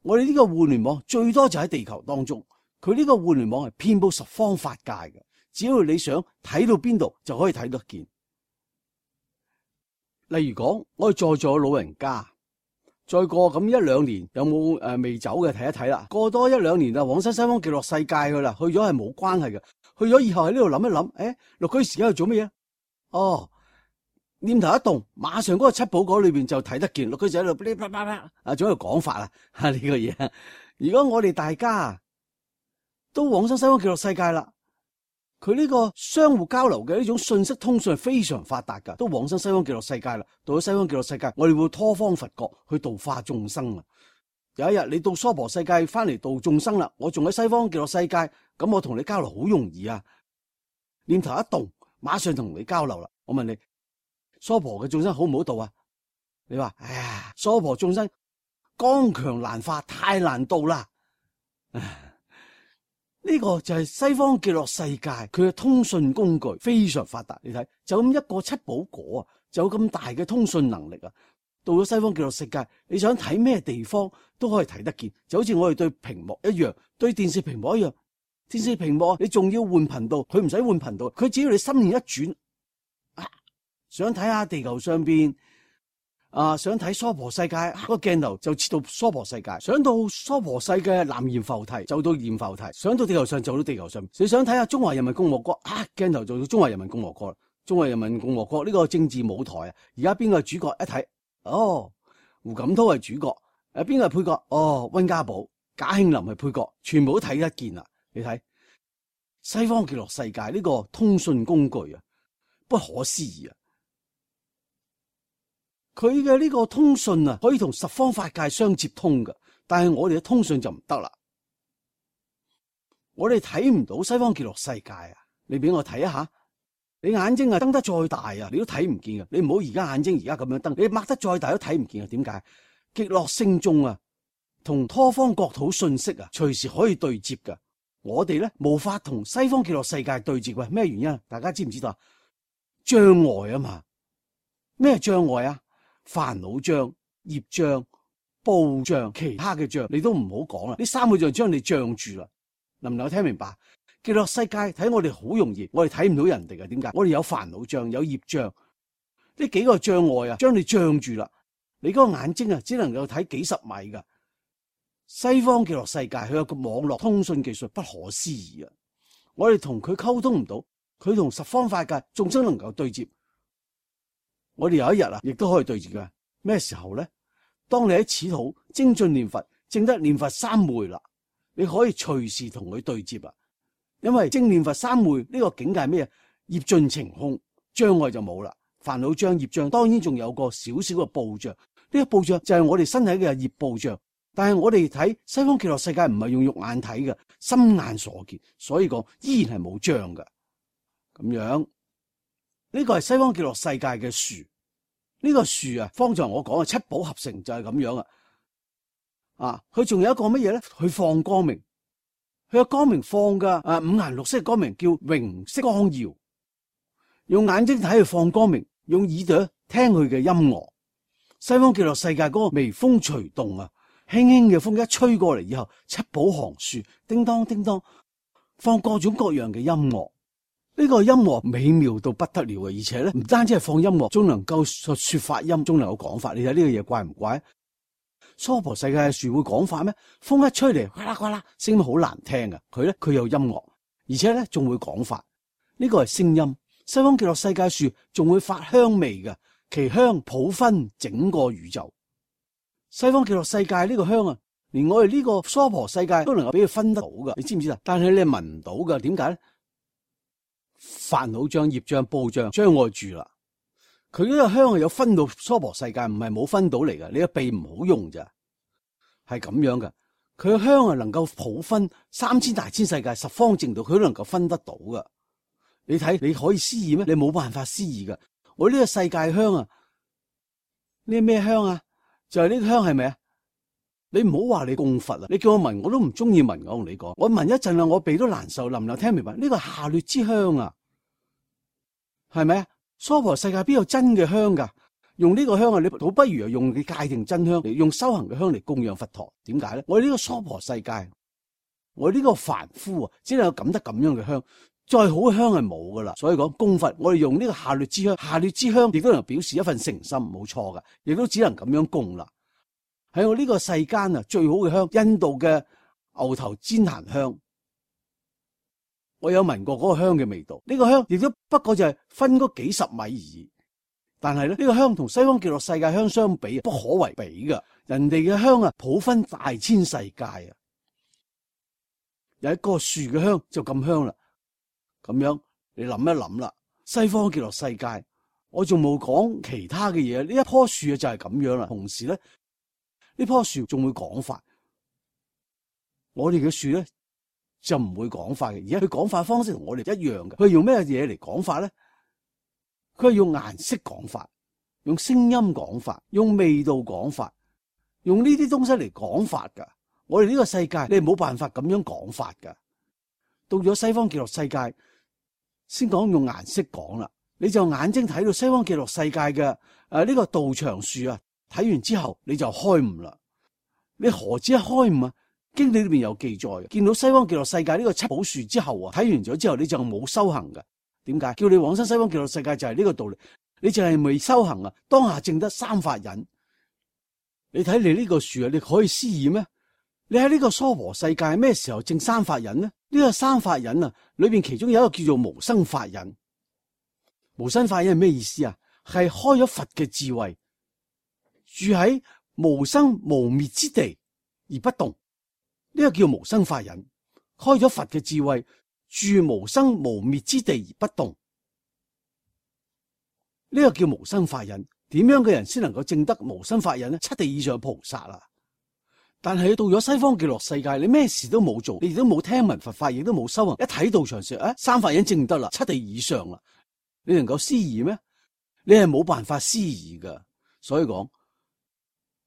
我哋呢個互聯網最多就喺地球當中，佢呢個互聯網係遍布十方法界嘅。只要你想睇到邊度，就可以睇得見。例如講，我哋在座老人家，再過咁一兩年有冇未走嘅睇一睇啦。過多一兩年啊，往生西方極樂世界去啦，去咗係冇關係嘅。去咗以後喺呢度諗一諗，六居士而家去做乜嘢？哦，念頭一動，馬上嗰個七寶果裏邊就睇得見。六居士喺度噼啪啪啪啊，仲喺度講法啊呢個嘢。如果我哋大家都往生西方極樂世界啦。佢呢個相互交流嘅呢種信息通訊係非常發達噶，都往生西方極樂世界啦。到咗西方極樂世界，我哋會拖方佛國去度化眾生啊。有一日你到娑婆世界翻嚟度眾生啦，我仲喺西方極樂世界，咁我同你交流好容易啊。念頭一動，馬上同你交流啦。我問你，娑婆嘅眾生好唔好度啊？你話，哎呀，娑婆眾生剛強難化，太難度啦。呢個就係西方極樂世界，佢嘅通訊工具非常發達。你睇，就咁一個七寶果啊，就有咁大嘅通訊能力啊。到咗西方極樂世界，你想睇咩地方都可以睇得見，就好似我哋對屏幕一樣，對電視屏幕一樣。電視屏幕你仲要換頻道，佢唔使換頻道，佢只要你心念一轉，想睇下地球上邊。想睇娑婆世界，個鏡頭就切到娑婆世界；想到娑婆世界南閻浮提，就到閻浮提；想到地球上，就到地球上。你想睇下中華人民共和國，鏡頭就到中華人民共和國啦。中華人民共和國呢個政治舞台啊，而家邊個係主角？一睇，哦，胡錦濤係主角，邊個係配角？哦，溫家寶、賈慶林係配角，全部都睇得見啦。你睇西方極樂世界呢個通訊工具啊，不可思議啊！佢嘅呢個通訊啊，可以同十方法界相接通㗎，但係我哋嘅通訊就唔得啦。我哋睇唔到西方極樂世界啊！你俾我睇一下，你眼睛啊瞪得再大啊，你都睇唔見嘅。你唔好而家眼睛而家咁樣瞪，你擘得再大都睇唔見嘅。點解？極樂聖眾啊，同拖方國土信息啊，隨時可以對接㗎。我哋咧無法同西方極樂世界對接嘅，咩原因？大家知唔知道啊？障礙啊嘛。咩障礙啊？煩惱障、業障、報障，其他嘅障你都唔好講啦。呢三個障將你障住啦，能唔能夠聽明白？極樂世界睇我哋好容易，我哋睇唔到人哋嘅。點解？我哋有煩惱障、有業障，呢幾個障礙啊，將你障住啦。你嗰個眼睛啊，只能夠睇幾十米噶。西方極樂世界佢有個網絡通訊技術不可思議啊！我哋同佢溝通唔到，佢同十方法界眾生能夠對接。我哋有一日啊，亦都可以對住㗎。咩時候咧？當你喺此土精進念佛，證得念佛三昧啦，你可以隨時同佢對接啦。因為證念佛三昧呢個境界係咩？業盡情空，障礙就冇啦。煩惱障、業障，當然仲有個少少嘅報障。呢個報障就係我哋身體嘅業報障。但係我哋睇西方極樂世界唔係用肉眼睇嘅，心眼所見，所以講依然係冇障㗎。咁樣。呢個係西方極樂世界嘅樹，呢個樹啊，方才我講嘅七寶合成就係咁樣啊。啊，佢仲有一個乜嘢咧？去放光明，佢嘅光明放嘅五顏六色嘅光明叫榮色光耀。用眼睛睇佢放光明，用耳朵聽佢嘅音樂。西方極樂世界嗰個微風隨動啊，輕輕嘅風一吹過嚟以後，七寶行樹叮當叮當，放各種各樣嘅音樂。呢個音樂美妙到不得了嘅，而且咧唔單止係放音樂，仲能夠說法音，仲能夠講法。你睇呢個嘢怪唔怪？娑婆世界嘅樹會講法咩？風一吹嚟，呱啦呱啦，聲音好難聽嘅。佢有音樂，而且咧仲會講法。呢個係聲音。西方極樂世界樹仲會發香味嘅，其香普熏整個宇宙。西方極樂世界呢個香啊，連我哋呢個娑婆世界都能夠俾佢分得到嘅，你知唔知啊？但係你係聞唔到嘅，點解咧？煩惱障、業障、報障將我住啦。佢呢個香係有分到娑婆世界，唔係冇分到嚟嘅。你個鼻唔好用咋，係咁樣嘅。佢嘅香啊，能夠普分3000大千世界十方淨土，佢都能夠分得到嘅。你睇，你可以思議咩？你冇辦法思議噶。我呢個世界香啊，呢咩香啊？就係呢個香係咪啊？你唔好話你供佛啊！你叫我聞，我都唔中意聞。我同你講，我聞一陣啦，我鼻都難受。能唔能聽明白？呢個下劣之香啊，係咪啊？娑婆世界邊有真嘅香噶？用呢個香啊，你倒不如用你界定真香嚟，用修行嘅香嚟供養佛陀。點解咧？我呢個娑婆世界，我呢個凡夫啊，只能有感得咁樣嘅香。再好嘅香係冇噶啦，所以講供佛，我哋用呢個下劣之香，下劣之香亦都能表示一份誠心，冇錯噶，亦都只能咁樣供啦。喺我呢個世間啊，最好嘅香，印度嘅牛頭旃檀香，我有聞過嗰個香嘅味道。呢個香亦都不過就係分嗰幾十米而已，但係咧呢個香同西方極樂世界香相比，不可為比噶。人哋嘅香啊，普分大千世界啊，有一個樹嘅香就咁香啦。咁樣你諗一諗啦，西方極樂世界，我仲冇講其他嘅嘢。呢一棵樹就係咁樣啦。同時咧，呢棵樹仲會講法，我哋嘅樹咧就唔會講法嘅。而家佢講法方式同我哋一樣嘅。佢用咩嘢嚟講法咧？佢係用顏色講法，用聲音講法，用味道講法，用呢啲東西嚟講法噶。我哋呢個世界你係冇辦法咁樣講法噶。到咗西方極樂世界，先講用顏色講啦，你就眼睛睇到西方極樂世界嘅呢個道場樹啊，睇完之後你就開悟啦。你何止一開悟啊？經典裏邊有記載嘅，見到西方極樂世界呢個七寶樹之後啊，睇完咗之後你就冇修行嘅。點解？叫你往生西方極樂世界就係呢個道理，你就係未修行啊，當下證得三法忍。你睇你呢個樹啊，你可以思議咩？你喺呢個娑婆世界咩時候證三法忍呢？呢個三法忍啊，裏邊其中有一個叫做無生法忍。無生法忍係咩意思啊？係開咗佛嘅智慧，住喺無生無滅之地而不動，呢個叫無生法忍。開咗佛嘅智慧，住無生無滅之地而不動，呢個叫無生法忍。點樣嘅人先能夠證得無生法忍呢？七地以上菩薩啊！但係到咗西方極樂世界，你咩事都冇做，你亦都冇聽聞佛法，亦都冇修行，一睇道場說，三法忍證得啦，七地以上啦，你能夠思議咩？你係冇辦法思議噶。所以講，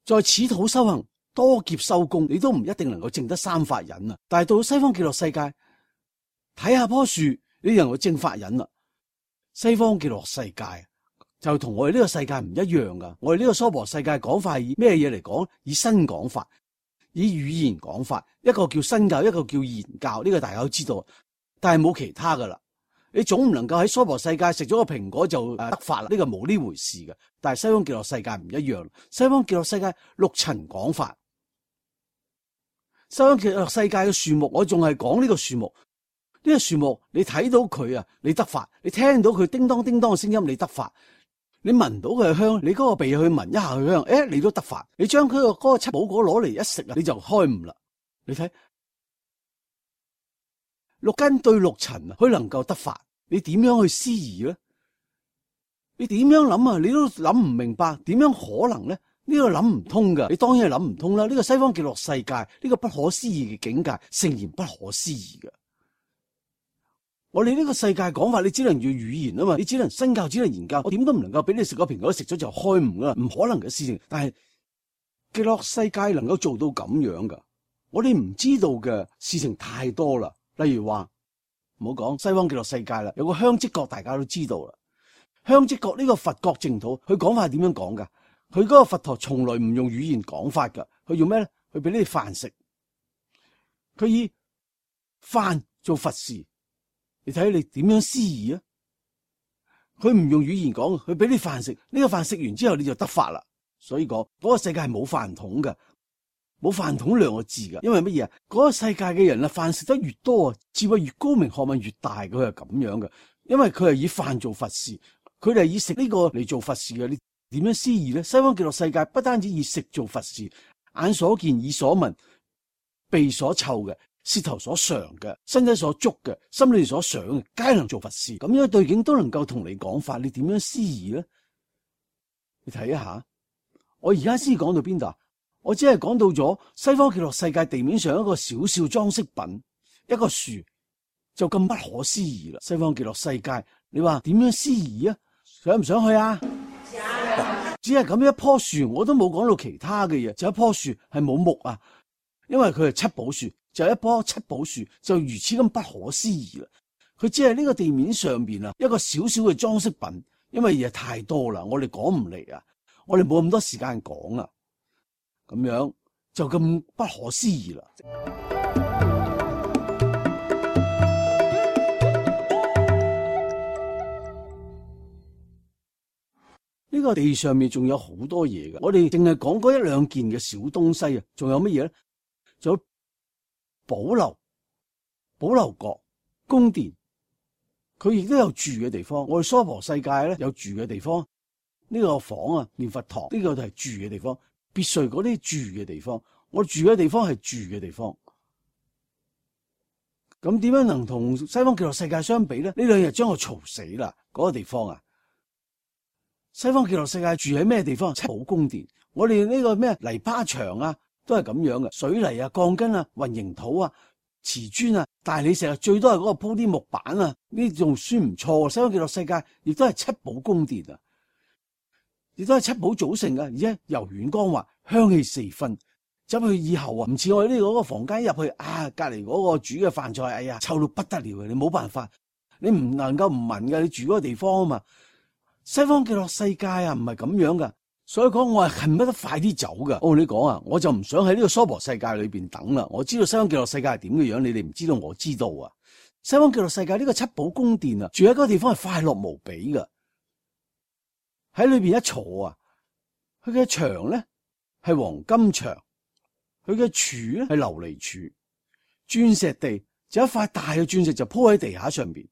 在此土修行，多劫修功，你都唔一定能夠證得三法忍啊。但係到西方極樂世界，睇下棵樹，你能夠證法忍啦。西方極樂世界就同我哋呢個世界唔一樣噶。我哋呢個娑婆世界講法係以咩嘢嚟講？以身講法。以語言講法，一個叫身教，一個叫言教，呢個大家都知道，但係冇其他噶啦。你總唔能夠喺娑婆世界食咗個蘋果就得法啦，呢個冇呢回事嘅。但係西方極樂世界唔一樣，西方極樂世界六塵講法。西方極樂世界嘅樹木，我仲係講呢個樹木，呢個樹木你睇到佢啊，你得法；你聽到佢叮當叮當嘅聲音，你得法。你聞到佢嘅香，你嗰個鼻去聞一下佢香，你都得法。你將佢個嗰個七寶果攞嚟一食啊，你就開悟啦。你睇六根對六塵啊，佢能夠得法，你點樣去思議咧？你點樣諗啊？你都諗唔明白，點樣可能咧？呢個諗唔通噶，你當然係諗唔通啦。呢個西方極樂世界，呢個不可思議嘅境界，誠然不可思議嘅。我哋呢個世界講法，你只能用語言啊嘛，你只能身教，只能言教，我點都唔能夠俾你食個蘋果，食咗就開悟噶啦，唔可能嘅事情。但係極樂世界能夠做到咁樣噶，我哋唔知道嘅事情太多啦。例如話，唔好講西方極樂世界啦，有個香積國大家都知道啦。香積國呢個佛國淨土，佢講法係點樣講噶？佢嗰個佛陀從來唔用語言講法噶，佢用咩咧？佢俾你飯食，佢以飯做佛事。你睇你點樣思議啊？佢唔用語言講，佢俾你飯食，呢個飯食完之後你就得法啦。所以講嗰個世界係冇飯桶嘅，冇飯桶兩個字嘅。因為乜嘢啊？嗰個世界嘅人啊，飯食得越多啊，智慧越高明，學問越大，佢係咁樣嘅。因為佢係以飯做佛事，佢哋係以食呢個嚟做佛事嘅。你點樣思議咧？西方極樂世界不單止以食做佛事，眼所見、耳所聞、鼻所嗅嘅、舌頭所嘗嘅、身體所觸嘅、心裏所想嘅，皆能做佛事。咁樣對境都能夠同你講法，你點樣思議咧？你睇一下，我而家先講到邊度啊？我只係講到咗西方極樂世界地面上一個小小裝飾品，一個樹就咁不可思議啦。西方極樂世界，你話點樣思議啊？想唔想去啊？只係咁一棵樹，我都冇講到其他嘅嘢，就一棵樹係冇木啊，因為佢係七寶樹，就一棵七寶樹就如此咁不可思議啦。佢只係呢個地面上邊啊一個小小嘅裝飾品，因為嘢太多啦，我哋講唔嚟啊，我哋冇咁多時間講啊，咁樣就咁不可思議啦。呢個地上面仲有好多嘢嘅，我哋淨係講嗰一兩件嘅小東西啊，仲有乜嘢咧？仲有寶樓、寶樓閣、宮殿，佢亦都有住嘅地方。我哋娑婆世界咧有住嘅地方，呢個房啊，念佛堂呢個就係住嘅地方，別墅嗰啲住嘅地方，我住嘅地方係住嘅地方。咁點樣能同西方極樂世界相比咧？呢兩日將我嘈死啦！嗰個地方啊！西方極樂世界住喺咩地方？七寶宮殿。我哋呢個咩泥巴牆啊，都係咁樣嘅，水泥啊、鋼筋啊、混凝土啊、瓷磚啊、大理石啊，最多係嗰個鋪啲木板啊，呢仲算唔錯。西方極樂世界亦都係七寶宮殿啊，亦都係七寶組成嘅，而且柔軟光滑，香氣四分。走去以後啊，唔似我哋呢個房間入去啊，隔籬嗰個煮嘅飯菜，哎呀，臭到不得了嘅，你冇辦法，你唔能夠唔聞嘅，你住嗰個地方啊嘛。西方極樂世界啊，唔係咁樣噶，所以講我係恨不得快啲走噶。我同你講啊，我就唔想喺呢個娑婆世界裏邊等啦。我知道西方極樂世界係點嘅樣，你哋唔知道，我知道啊。西方極樂世界呢個七寶宮殿啊，住喺嗰個地方係快樂無比噶。喺裏邊一坐啊，佢嘅牆咧係黃金牆，佢嘅柱咧係琉璃柱，鑽石地就一塊大嘅鑽石就鋪喺地下上邊。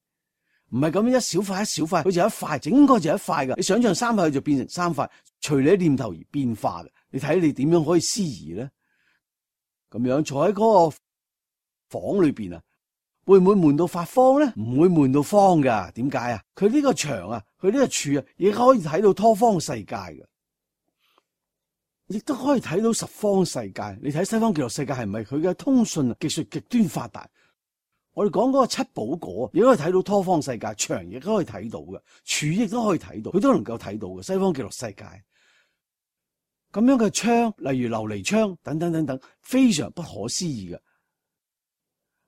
唔係咁樣一小塊一小塊，好似一塊，整個就一塊噶。你想象三塊就變成三塊，隨你念頭而變化嘅。你睇你點樣可以思議咧？咁樣坐喺嗰個房裏邊啊，會唔會悶到發慌咧？唔會悶到慌噶。點解啊？佢呢個牆啊，佢呢個柱啊，亦可以睇到多方世界嘅，亦都可以睇到十方世界。你睇西方極樂世界係咪佢嘅通訊技術極端發達？我哋講嗰個七寶果，亦都可以睇到多方世界，牆亦都可以睇到嘅，柱亦都可以睇到，佢都能夠睇到嘅。西方極樂世界咁樣嘅窗，例如琉璃窗等等等等，非常不可思議嘅。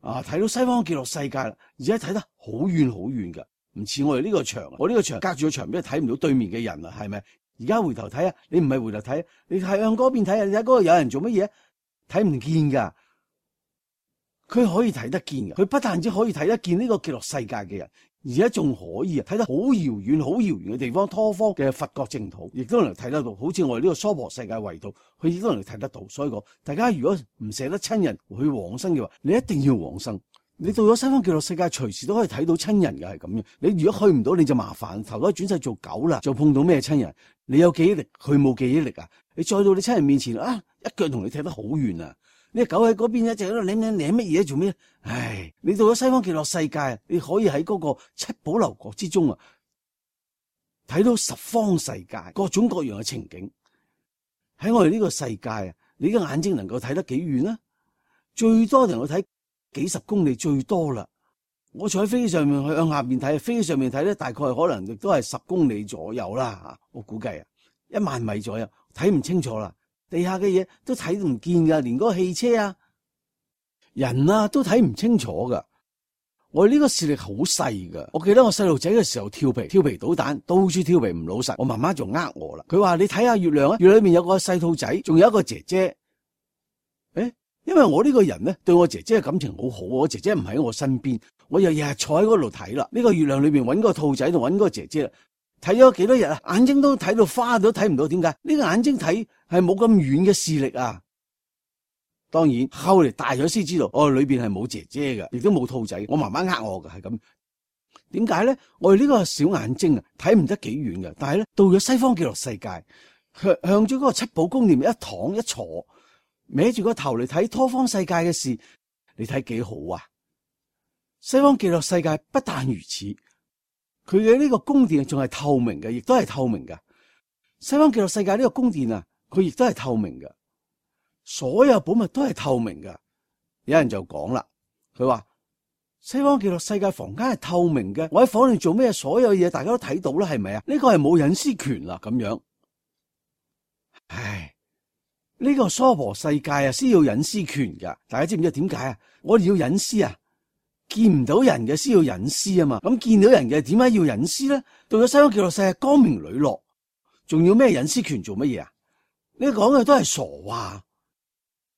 啊，睇到西方極樂世界啦，而且睇得好遠好遠嘅，唔似我哋呢個牆。我呢個牆隔住個牆邊睇唔到對面嘅人啊，係咪？而家回頭睇啊，你唔係回頭睇，你係向嗰邊睇啊，你睇嗰個有人做乜嘢？睇唔見噶。佢可以睇得見嘅，佢不但止可以睇得見呢個極樂世界嘅人，而且仲可以睇得好遙遠、好遙遠嘅地方，多方嘅佛國淨土，亦都能睇得到。好似我哋呢個娑婆世界圍度，佢亦都能睇得到。所以講，大家如果唔捨得親人去往生嘅話，你一定要往生。你到咗西方極樂世界，隨時都可以睇到親人嘅，係咁樣。你如果去唔到，你就麻煩，投胎轉世做狗啦，就碰到咩親人？你有記憶力，佢冇記憶力啊！你再到你親人面前啊，一腳同你踢得好遠啊！呢隻狗喺嗰邊一直喺度舐乜嘢做咩？唉，你到咗西方極樂世界，你可以喺嗰個七寶樓閣之中啊，睇到十方世界各種各樣嘅情景。喺我哋呢個世界啊，你嘅眼睛能夠睇得幾遠啊？最多能夠睇幾十公里最多啦。我坐喺飛機上面去向下面睇，飛機上面睇咧，大概可能亦都係10公里左右啦。我估計啊，1萬米左右，睇唔清楚啦。地下嘅嘢都睇唔見噶，連嗰個汽車啊、人啊都睇唔清楚噶。我哋呢個視力好細噶。我記得我細路仔嘅時候調皮搗蛋，到處調皮唔老實，我媽媽就呃我啦。佢話你睇下月亮啊，月亮裏面有個細兔仔，仲有一個姐姐。因為我呢個人咧對我姐姐嘅感情好好，我姐姐唔喺我身邊，我又日日坐喺嗰度睇啦。呢個月亮裏面揾個兔仔同揾個姐姐啦，睇咗幾多日啊，眼睛都睇到花都睇唔到，點解？呢個眼睛睇係冇咁遠嘅視力啊。當然後嚟大咗先知道，裏邊係冇姐姐嘅，亦都冇兔仔。我媽媽呃我嘅係咁。點解咧？我哋呢個小眼睛啊，睇唔得幾遠嘅，但係咧到咗西方極樂世界，向咗嗰個七寶宮殿一躺一坐，歪住個頭嚟睇多方世界嘅事，你睇幾好啊！西方極樂世界不但如此，佢嘅呢個宮殿仲係透明嘅，亦都係透明嘅。西方極樂世界呢個宮殿啊，佢亦都係透明嘅，所有寶物都係透明嘅。有人就講啦，佢話西方極樂世界房間係透明嘅，我喺房裏做咩，所有嘢大家都睇到啦，係咪啊？呢個係冇隱私權啦，咁樣。唉。呢個娑婆世界啊，先要隱私權噶，大家知唔知點解啊？我哋要隱私啊，見唔到人嘅先要隱私啊嘛。咁見到人嘅點解要隱私咧？到咗西方極樂世界光明磊落，仲要咩隱私權做乜嘢啊？你講嘅都係傻話。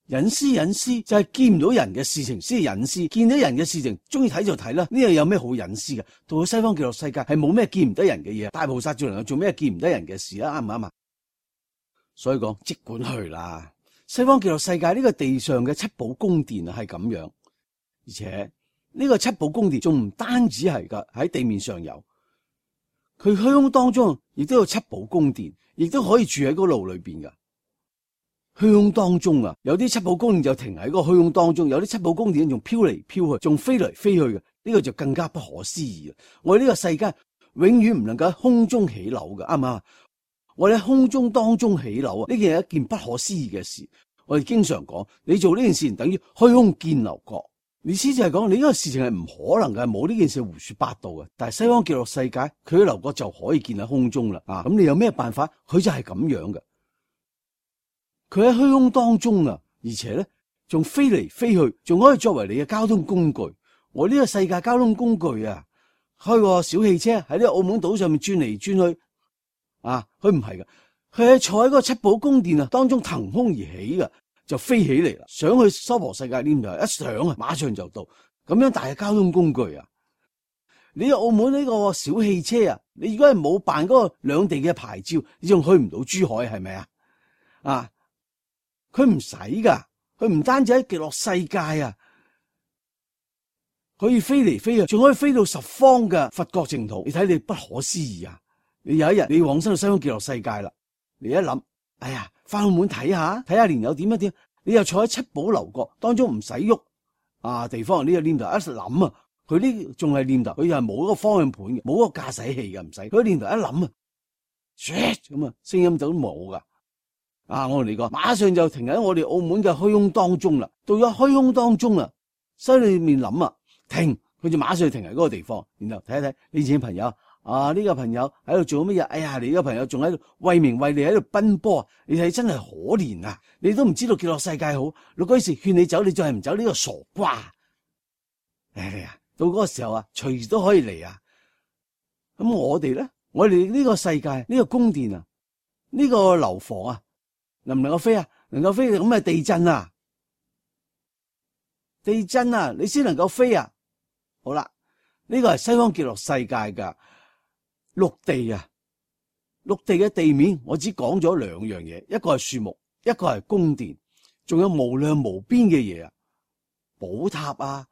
隱私就係見唔到人嘅事情先係隱私，見到人嘅事情中意睇就睇啦。呢樣有咩好隱私嘅？到咗西方極樂世界係冇咩見唔得人嘅嘢，大菩薩最能夠做咩見唔得人嘅事啊？啱唔啱啊？所以講即管去啦，西方極樂世界呢個地上嘅七寶宮殿啊係咁樣，而且呢個七寶宮殿仲唔單止係噶，喺地面上有，佢虛空當中亦都有七寶宮殿，亦都可以住喺嗰路裏邊噶。虛空當中啊，有啲七寶宮殿就停喺嗰個虛空當中，有啲七寶宮殿仲飄嚟飄去，仲飛嚟飛去嘅，呢個就更加不可思議啦。我哋呢個世界永遠唔能夠喺空中起樓嘅，啱唔啱？我哋喺空中當中起樓啊，呢件係一件不可思議嘅事。我哋經常講，你做呢件事等於虛空建樓閣，意思就係講你呢個事情係唔可能嘅，冇呢件事胡說八道嘅。但係西方極樂世界，佢嘅樓閣就可以建喺空中啦。咁你有咩辦法？佢就係咁樣嘅。佢喺虛空當中啊，而且咧仲飛嚟飛去，仲可以作為你嘅交通工具。我呢個世界交通工具啊，開個小汽車喺呢個澳門島上面轉嚟轉去。佢唔係噶，佢係坐喺嗰個七寶宮殿啊當中騰空而起噶，就飛起嚟啦，上去娑婆世界呢度一上啊，馬上就到，咁樣大嘅交通工具啊！你澳門呢個小汽車啊，你如果係冇辦嗰個兩地嘅牌照，你仲去唔到珠海係咪啊？佢唔使噶，佢唔單止喺極樂世界啊，可以飛嚟飛去，仲可以飛到十方嘅佛國淨土。你睇你不可思議啊！你有一日你往生到西方極樂世界啦，你一諗，哎呀，翻澳門睇下蓮友點一點，你又坐喺七寶樓閣當中唔使喐地方呢個念頭一諗啊，佢呢仲係念頭，佢又係冇嗰個方向盤嘅，冇嗰個駕駛器嘅，唔使佢念頭一諗啊，咁啊，聲音就都冇噶。我同你講，馬上就停喺我哋澳門嘅虛空當中啦。到咗虛空當中啊，心裏面諗啊，停，佢就馬上停喺嗰個地方，然後睇一睇你以前嘅朋友。呢個朋友喺度做乜嘢？哎呀，你個朋友仲喺度為名為利喺度奔波，你睇真係可憐啊！你都唔知道極樂世界好，老居士勸你走，你仲係唔走呢個傻瓜。到嗰個時候啊，隨時都可以嚟啊。咁我哋咧，我哋呢個世界呢個宮殿啊，呢個樓房啊，能唔能夠飛啊？能夠飛，咁係地震啊！地震啊，你先能夠飛啊！好啦，呢個係西方極樂世界噶。陸地啊，陸地嘅地面，我只講咗兩樣嘢，一個係樹木，一個係宮殿，仲有無量無邊嘅嘢啊，寶塔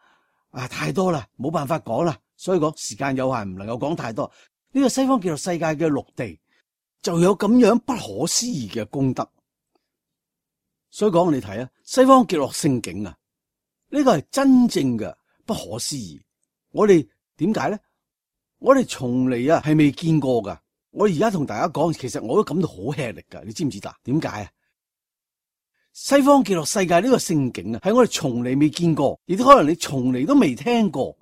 太多啦，冇辦法講啦，所以講時間有限，唔能夠講太多。呢個西方極樂世界嘅陸地就有咁樣不可思議嘅功德，所以講你睇啊，西方極樂聖境啊，呢個係真正嘅不可思議。我哋點解咧？我哋從嚟係未見過噶。我而家同大家講，其實我都感到好吃力噶。你知唔知道？點解啊？西方極樂世界呢個聖境啊，係我哋從嚟未見過，亦都可能你從嚟都未聽過。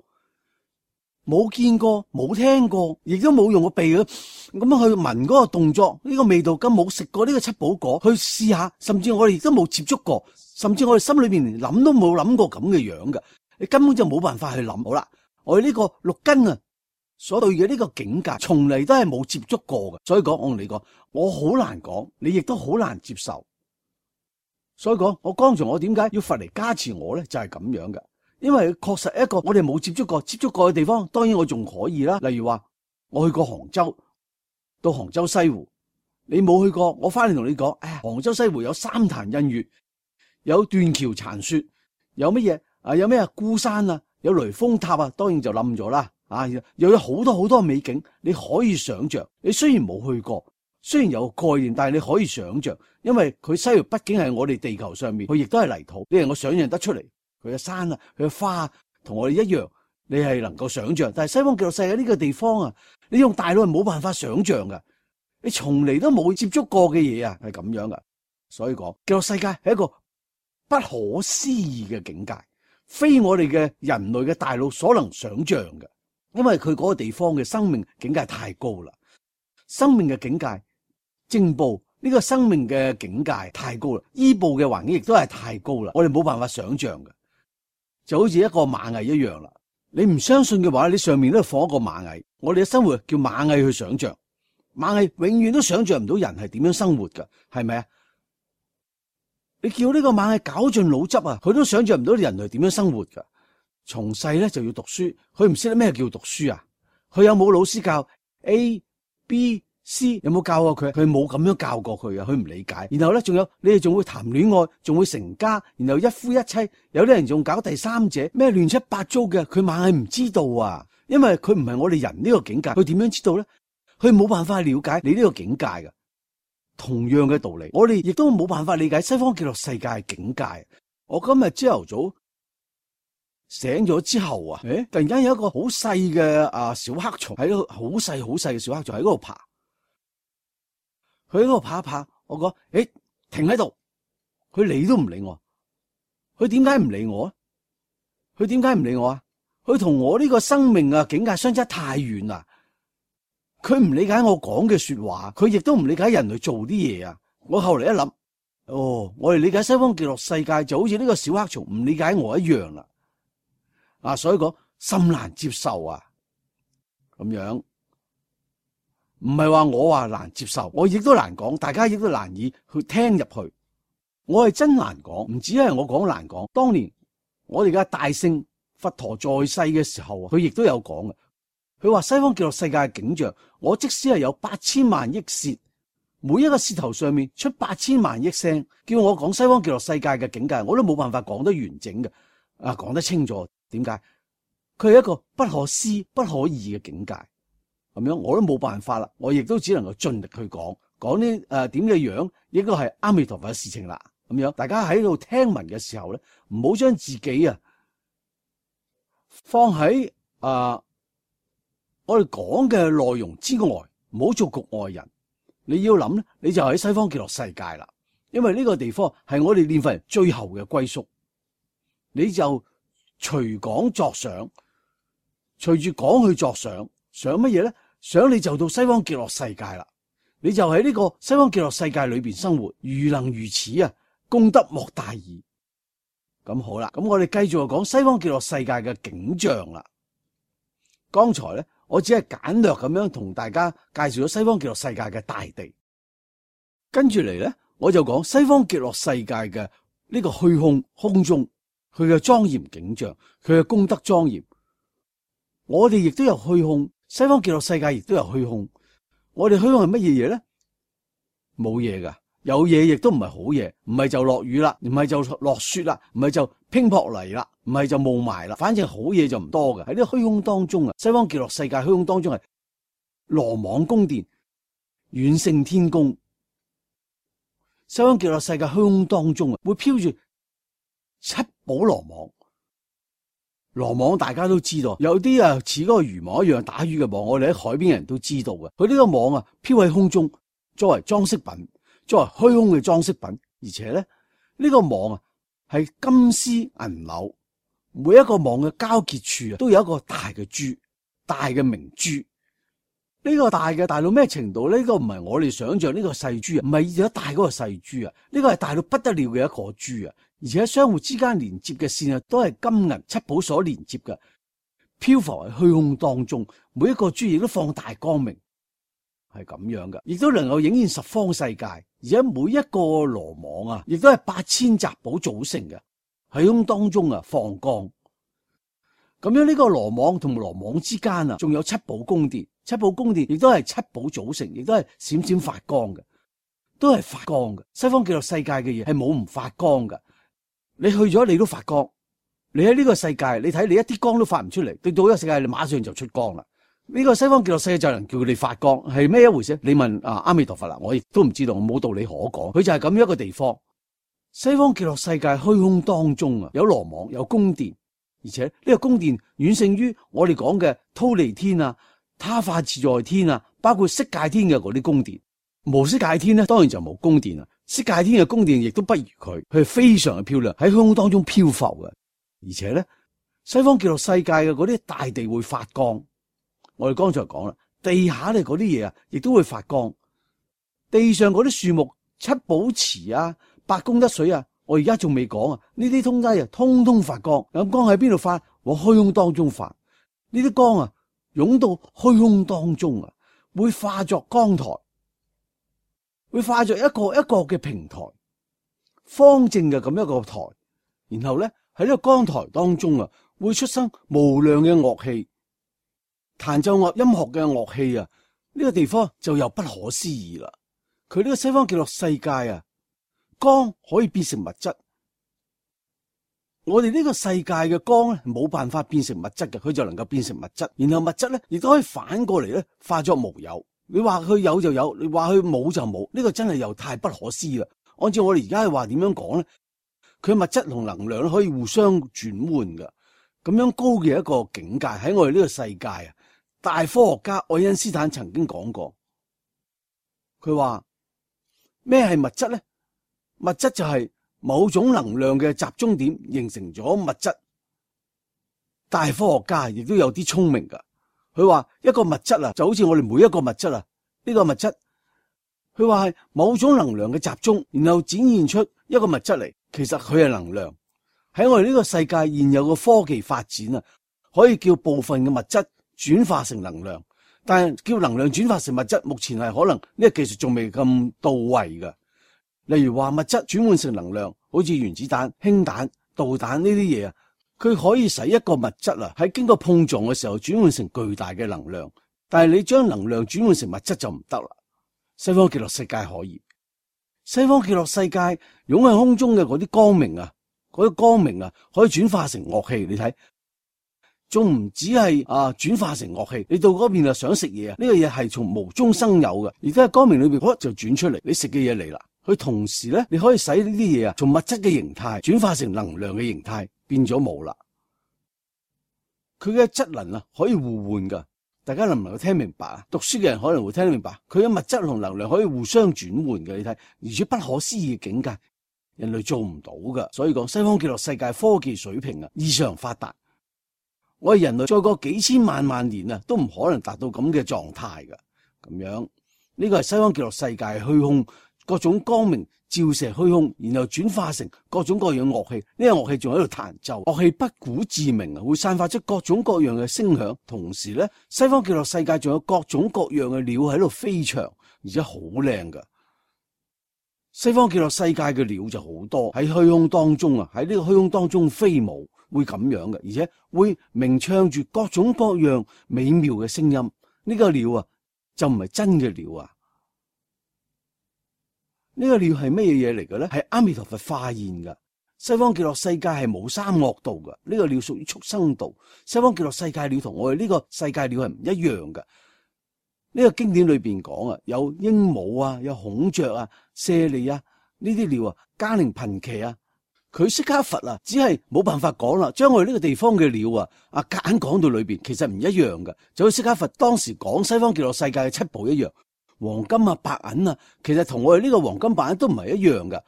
冇見過、冇聽過，亦都冇用個鼻咁樣去聞嗰個動作，呢個味道咁冇食過呢個七寶果去試下，甚至我哋亦都冇接觸過，甚至我哋心裏邊連諗都冇諗過咁嘅樣嘅，你根本就冇辦法去諗。好啦，我哋呢個六根啊所對嘅呢個境界，從嚟都係冇接觸過嘅，所以講我同你講，我好難講，你亦都好難接受。所以講，我剛才我點解要佛嚟加持我咧，就係咁樣嘅。因為確實一個我哋冇接觸過嘅地方，當然我仲可以啦。例如話我去過杭州，到杭州西湖，你冇去過，我翻嚟同你講，哎呀，杭州西湖有三潭印月，有斷橋殘雪，有乜嘢啊？有咩孤山啊？有雷峰塔啊？當然就冧咗啦。啊，又有好多好多美景，你可以想象。你雖然冇去過，雖然有概念，但係你可以想象，因為佢西湖畢竟係我哋地球上面，佢亦都係泥土，你能夠想象得出嚟。佢嘅山啊，佢嘅花啊，同我哋一樣，你係能夠想象。但係西方極樂世界呢個地方啊，你用大腦係冇辦法想象噶，你從嚟都冇接觸過嘅嘢啊，係咁樣噶。所以講極樂世界係一個不可思議嘅境界，非我哋嘅人類嘅大腦所能想象嘅。因為佢嗰個地方嘅生命境界太高啦，生命嘅境界正報。呢個生命嘅境界太高啦，依報嘅環境亦都係太高啦，我哋冇辦法想象嘅。就好似一個螞蟻一樣啦，你唔相信嘅話，你上面都放一個螞蟻。我哋嘅生活叫螞蟻去想象，螞蟻永遠都想象唔到人係點樣生活噶，係咪啊？你叫呢個螞蟻絞盡腦汁啊，佢都想象唔到人類點樣生活噶。從細咧就要讀書，佢唔識得咩叫讀書啊？佢有冇老師教 A、B、C？有冇教過佢？佢冇咁樣教過佢啊，佢唔理解。然後咧，仲有你哋仲會談戀愛，仲會成家，然後一夫一妻，有啲人仲搞第三者，咩亂七八糟嘅，佢螞蟻唔知道啊，因為佢唔係我哋人呢個境界，佢點樣知道咧？佢冇辦法了解你呢個境界嘅。同樣嘅道理，我哋亦都冇辦法理解西方極樂世界嘅境界。我今日朝頭早醒咗之後啊，突然間有一個好細嘅小黑蟲喺度，好細嘅小黑蟲喺嗰度爬。佢喺嗰度爬一爬，我講，停喺度，佢理都唔理我。佢點解唔理我啊？佢點解唔理我啊？佢同我呢個生命啊境界相差太遠啦。佢唔理解我講嘅說話，佢亦都唔理解人類做啲嘢啊。我後嚟一諗，我哋理解西方極樂世界就好似呢個小黑蟲唔理解我一樣啦。所以講甚難接受啊，咁樣。唔係話我話難接受，我亦都難講，大家亦都難以去聽入去。我係真難講，唔止係我講難講。當年我哋嘅大聖佛陀在世嘅時候，佢亦都有講嘅。佢話西方極樂世界嘅景象，我即使係有8000萬億舌，每一個舌頭上面出8000萬億聲，叫我講西方極樂世界嘅境界，我都冇辦法講得完整嘅，講得清楚。點解？佢係一個不可思不可議嘅境界。咁樣我都冇辦法啦，我亦都只能夠盡力去講呢點嘅樣，亦都係阿彌陀佛嘅事情啦。咁樣大家喺度聽聞嘅時候咧，唔好將自己放喺我哋講嘅內容之外，唔好做局外人。你要諗咧，你就喺西方極樂世界啦，因為呢個地方係我哋念佛人最後嘅歸宿。你就隨講作想，隨住講去作想，想乜嘢咧？想你就到西方極樂世界啦，你就喺呢個西方極樂世界裏邊生活，如能如此啊，功德莫大矣。咁好啦，咁我哋繼續講西方極樂世界嘅景象啦。剛才咧，我只係簡略咁樣同大家介紹咗西方極樂世界嘅大地，跟住嚟咧，我就講西方極樂世界嘅呢個虛空空中，佢嘅莊嚴景象，佢嘅功德莊嚴。我哋亦都有虛空。西方極樂世界亦都有虛空，我哋虛空係乜嘢嘢咧？冇嘢噶，有嘢亦都唔係好嘢，唔係就落雨啦，唔係就落雪啦，唔係就乒乓泥啦，唔係就霧霾啦，反正好嘢就唔多嘅。喺呢個虛空當中啊，西方極樂世界虛空當中係羅網宮殿，遠勝天宮。西方極樂世界虛空當中啊，會飄住七寶羅網。羅網大家都知道，有啲似嗰個漁網一樣打魚嘅網，我哋喺海邊嘅人都知道嘅。佢呢個網飄喺空中，作為裝飾品，作為虛空嘅裝飾品。而且咧，呢個網係金絲銀柳，每一個網嘅交結處都有一個大嘅珠，大嘅明珠。呢個大嘅大到咩程度？呢個唔係我哋想象呢個細珠啊，唔係以前一大嗰個細珠啊，呢個係大到不得了嘅一個珠啊！而且相互之間連接嘅線啊，都係金銀七寶所連接嘅，漂浮喺虛空當中，每一個珠亦都放大光明，係咁樣嘅，亦都能夠影現十方世界。而且每一個羅網啊，亦都係8000雜寶組成嘅，喺空當中啊放光。咁樣呢個羅網同羅網之間啊，仲有七寶宮殿，七寶宮殿亦都係七寶組成，亦都係閃閃發光嘅，都係發光嘅。西方極樂世界嘅嘢係冇唔發光嘅，你去咗你都發光。你喺呢個世界，你睇你一啲光都發唔出嚟，對到呢個世界你馬上就出光啦。呢個西方極樂世界就能叫你發光，係咩一回事？你問阿彌陀佛啦，我亦都唔知道，我冇道理可講。佢就係咁樣一個地方。西方極樂世界虛空當中啊，有羅網，有宮殿。而且呢個宮殿遠勝於我哋講嘅忉利天啊、他化自在天啊，包括色界天嘅嗰啲宮殿。無色界天呢，當然就冇宮殿啦。色界天嘅宮殿亦都不如佢係非常嘅漂亮，喺虛空當中漂浮嘅。而且咧，西方極樂世界嘅嗰啲大地會發光。我哋剛才講啦，地下咧嗰啲嘢啊，亦都會發光。地上嗰啲樹木、七寶池啊、八功德水啊，我而家仲未講啊，呢啲東西啊，通通發光。咁光喺邊度發？往虛空當中發。呢啲光啊，湧到虛空當中啊，會化作光台，會化作一個一個嘅平台，方正嘅咁一個台。然後咧喺呢個光台當中啊，會出生無量嘅樂器，彈奏樂音樂嘅樂器啊，呢個地方就又不可思議啦。佢呢個西方極樂世界啊，光可以變成物質。我哋呢個世界嘅光咧，冇辦法變成物質嘅，佢就能夠變成物質。然後物質咧，亦都可以反過嚟咧，化作無有。你話佢有就有，你話佢冇就冇，呢個真係又太不可思議啦。按照我哋而家嘅話點樣講咧？佢物質同能量可以互相轉換嘅，咁樣高嘅一個境界喺我哋呢個世界啊！大科學家愛因斯坦曾經講過，佢話咩係物質咧？物質就係某種能量嘅集中點形成咗物質。大科學家亦都有啲聰明噶，佢話一個物質啊，就好似我哋每一個物質啊，呢個物質，佢話係某種能量嘅集中，然後展現出一個物質嚟。其實佢係能量。喺我哋呢個世界現有嘅科技發展啊，可以叫部分嘅物質轉化成能量，但係叫能量轉化成物質，目前係可能呢個技術仲未咁到位嘅。例如話物質轉換成能量，好似原子彈、氫彈、導彈呢啲嘢啊，佢可以使一個物質啊喺經過碰撞嘅時候轉換成巨大嘅能量，但係你將能量轉換成物質就唔得啦。西方極樂世界可以。西方極樂世界湧喺空中嘅嗰啲光明啊，嗰啲光明啊，可以轉化成樂器。你睇，仲唔止係轉化成樂器？你到嗰邊啊想食嘢啊，呢個嘢係從無中生有嘅，而家喺光明裏邊就轉出嚟，你食嘅嘢嚟啦。佢同時咧，你可以使呢啲嘢啊，從物質嘅形態轉化成能量嘅形態，變咗冇啦。佢嘅質能啊，可以互換噶。大家能唔能夠聽明白啊？讀書嘅人可能會聽得明白，佢嘅物質同能量可以互相轉換嘅，你睇，而且不可思議嘅境界，人類做唔到噶。所以講西方極樂世界科技水平啊異常發達，我哋人類再過幾千萬年啊，都唔可能達到咁嘅狀態噶。咁樣呢個係西方極樂世界虛空，各種光明照射虛空，然後轉化成各種各樣樂器。呢個樂器仲喺度彈奏，樂器不鼓自鳴啊，會散發出各種各樣嘅聲響。同時咧，西方極樂世界仲有各種各樣嘅鳥喺度飛翔，而且好靚噶。西方極樂世界嘅鳥就好多喺虛空當中啊，喺呢個虛空當中飛舞，會咁樣嘅，而且會鳴唱住各種各樣美妙嘅聲音。呢個鳥啊，就唔係真嘅鳥啊。呢個鳥係咩嘢嚟嘅咧？係阿彌陀佛化現噶。西方極樂世界係冇三惡道噶，呢個鳥屬於畜生道。西方極樂世界鳥同我哋呢個世界鳥係唔一樣噶。呢個經典裏邊講啊，有鸚鵡啊，有孔雀啊、舍利啊呢啲鳥啊，嘉陵頻伽啊，佢釋迦佛啊，只係冇辦法講啦，將我哋呢個地方嘅鳥啊，夾硬講到裏邊，其實唔一樣噶。就好似釋迦佛當時講西方極樂世界嘅七寶一樣。黃金啊、白銀啊，其實同我哋呢個黃金白銀都唔係一樣噶。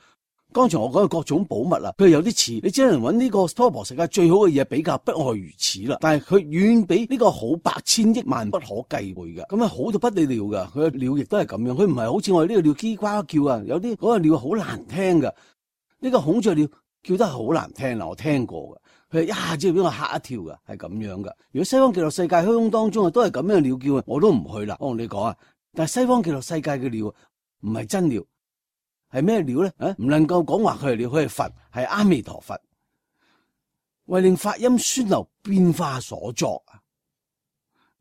剛才我講嘅各種寶物啊，佢有啲似，你只能揾呢個娑婆世界最好嘅嘢比較，不外如此啦。但係佢遠比呢個好百千億萬不可計倍嘅，咁啊好到不得了噶。佢嘅鳥亦都係咁樣，佢唔係好似我哋呢個鳥嘰呱叫啊，有啲嗰個鳥好難聽噶。呢個孔雀鳥叫得係好難聽啦，我聽過嘅。佢一下子俾我嚇一跳噶，係咁樣噶。如果西方極樂世界虛空當中啊，都係咁樣鳥叫啊，我都唔去啦。我同你講啊，但係西方極樂世界嘅鳥唔係真鳥。係咩鳥咧？唔能夠講話佢係鳥，佢係佛，係阿彌陀佛，為令法音宣流變化所作啊！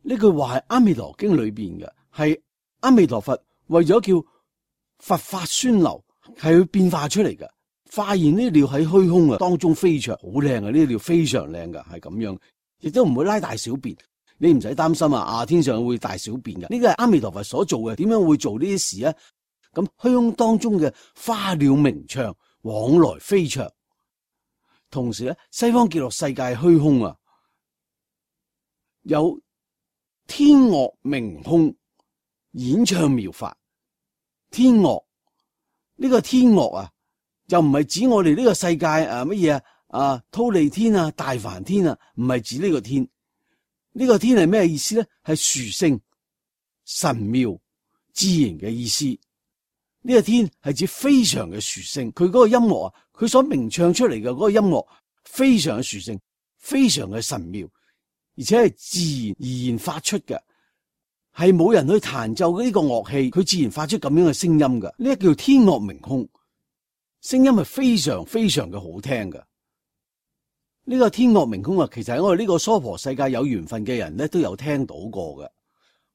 呢句話係阿彌陀經裏邊嘅，係阿彌陀佛為咗叫佛法宣流，係佢變化出嚟嘅。發現呢啲鳥喺虛空啊當中飛翔，好靚啊！呢啲鳥非常靚噶，係咁樣，亦都唔會拉大小便。你唔使擔心啊！天上會大小便嘅，呢個係阿彌陀佛所做嘅。點樣會做呢啲事啊？咁虛空當中嘅花鳥鳴唱，往來飛翔。同時咧，西方極樂世界虛空啊，有天樂鳴空，演唱妙法。天樂呢個天樂啊，就唔係指我哋呢個世界乜嘢啊，忉利天啊、大梵天啊，唔係指呢個天。呢個天係咩意思咧？係殊勝、神妙、自然嘅意思。呢個天係指非常嘅殊勝，佢嗰個音樂啊，佢所鳴唱出嚟嘅嗰個音樂非常嘅殊勝，非常嘅神妙，而且係自然而然發出嘅，係冇人去彈奏呢個樂器，佢自然發出咁樣嘅聲音嘅。呢個叫天樂鳴空，聲音係非常非常嘅好聽嘅。呢個天樂鳴空啊，其實喺我哋呢個娑婆世界有緣分嘅人咧都有聽到過嘅。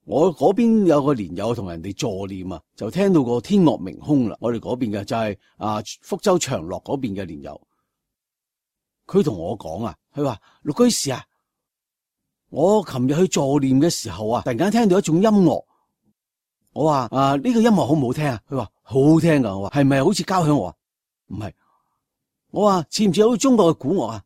我嗰邊有個蓮友同人哋助念啊，就聽到個天樂鳴空啦。我哋嗰邊嘅就係福州長樂嗰邊嘅蓮友，佢同我講啊，佢話陸居士啊，我琴日去助念嘅時候啊，突然間聽到一種音樂。我話呢個音樂好唔好聽啊？佢話好好聽噶。我話係咪好似交響樂啊？唔係。我話似唔似好似中國嘅古樂啊？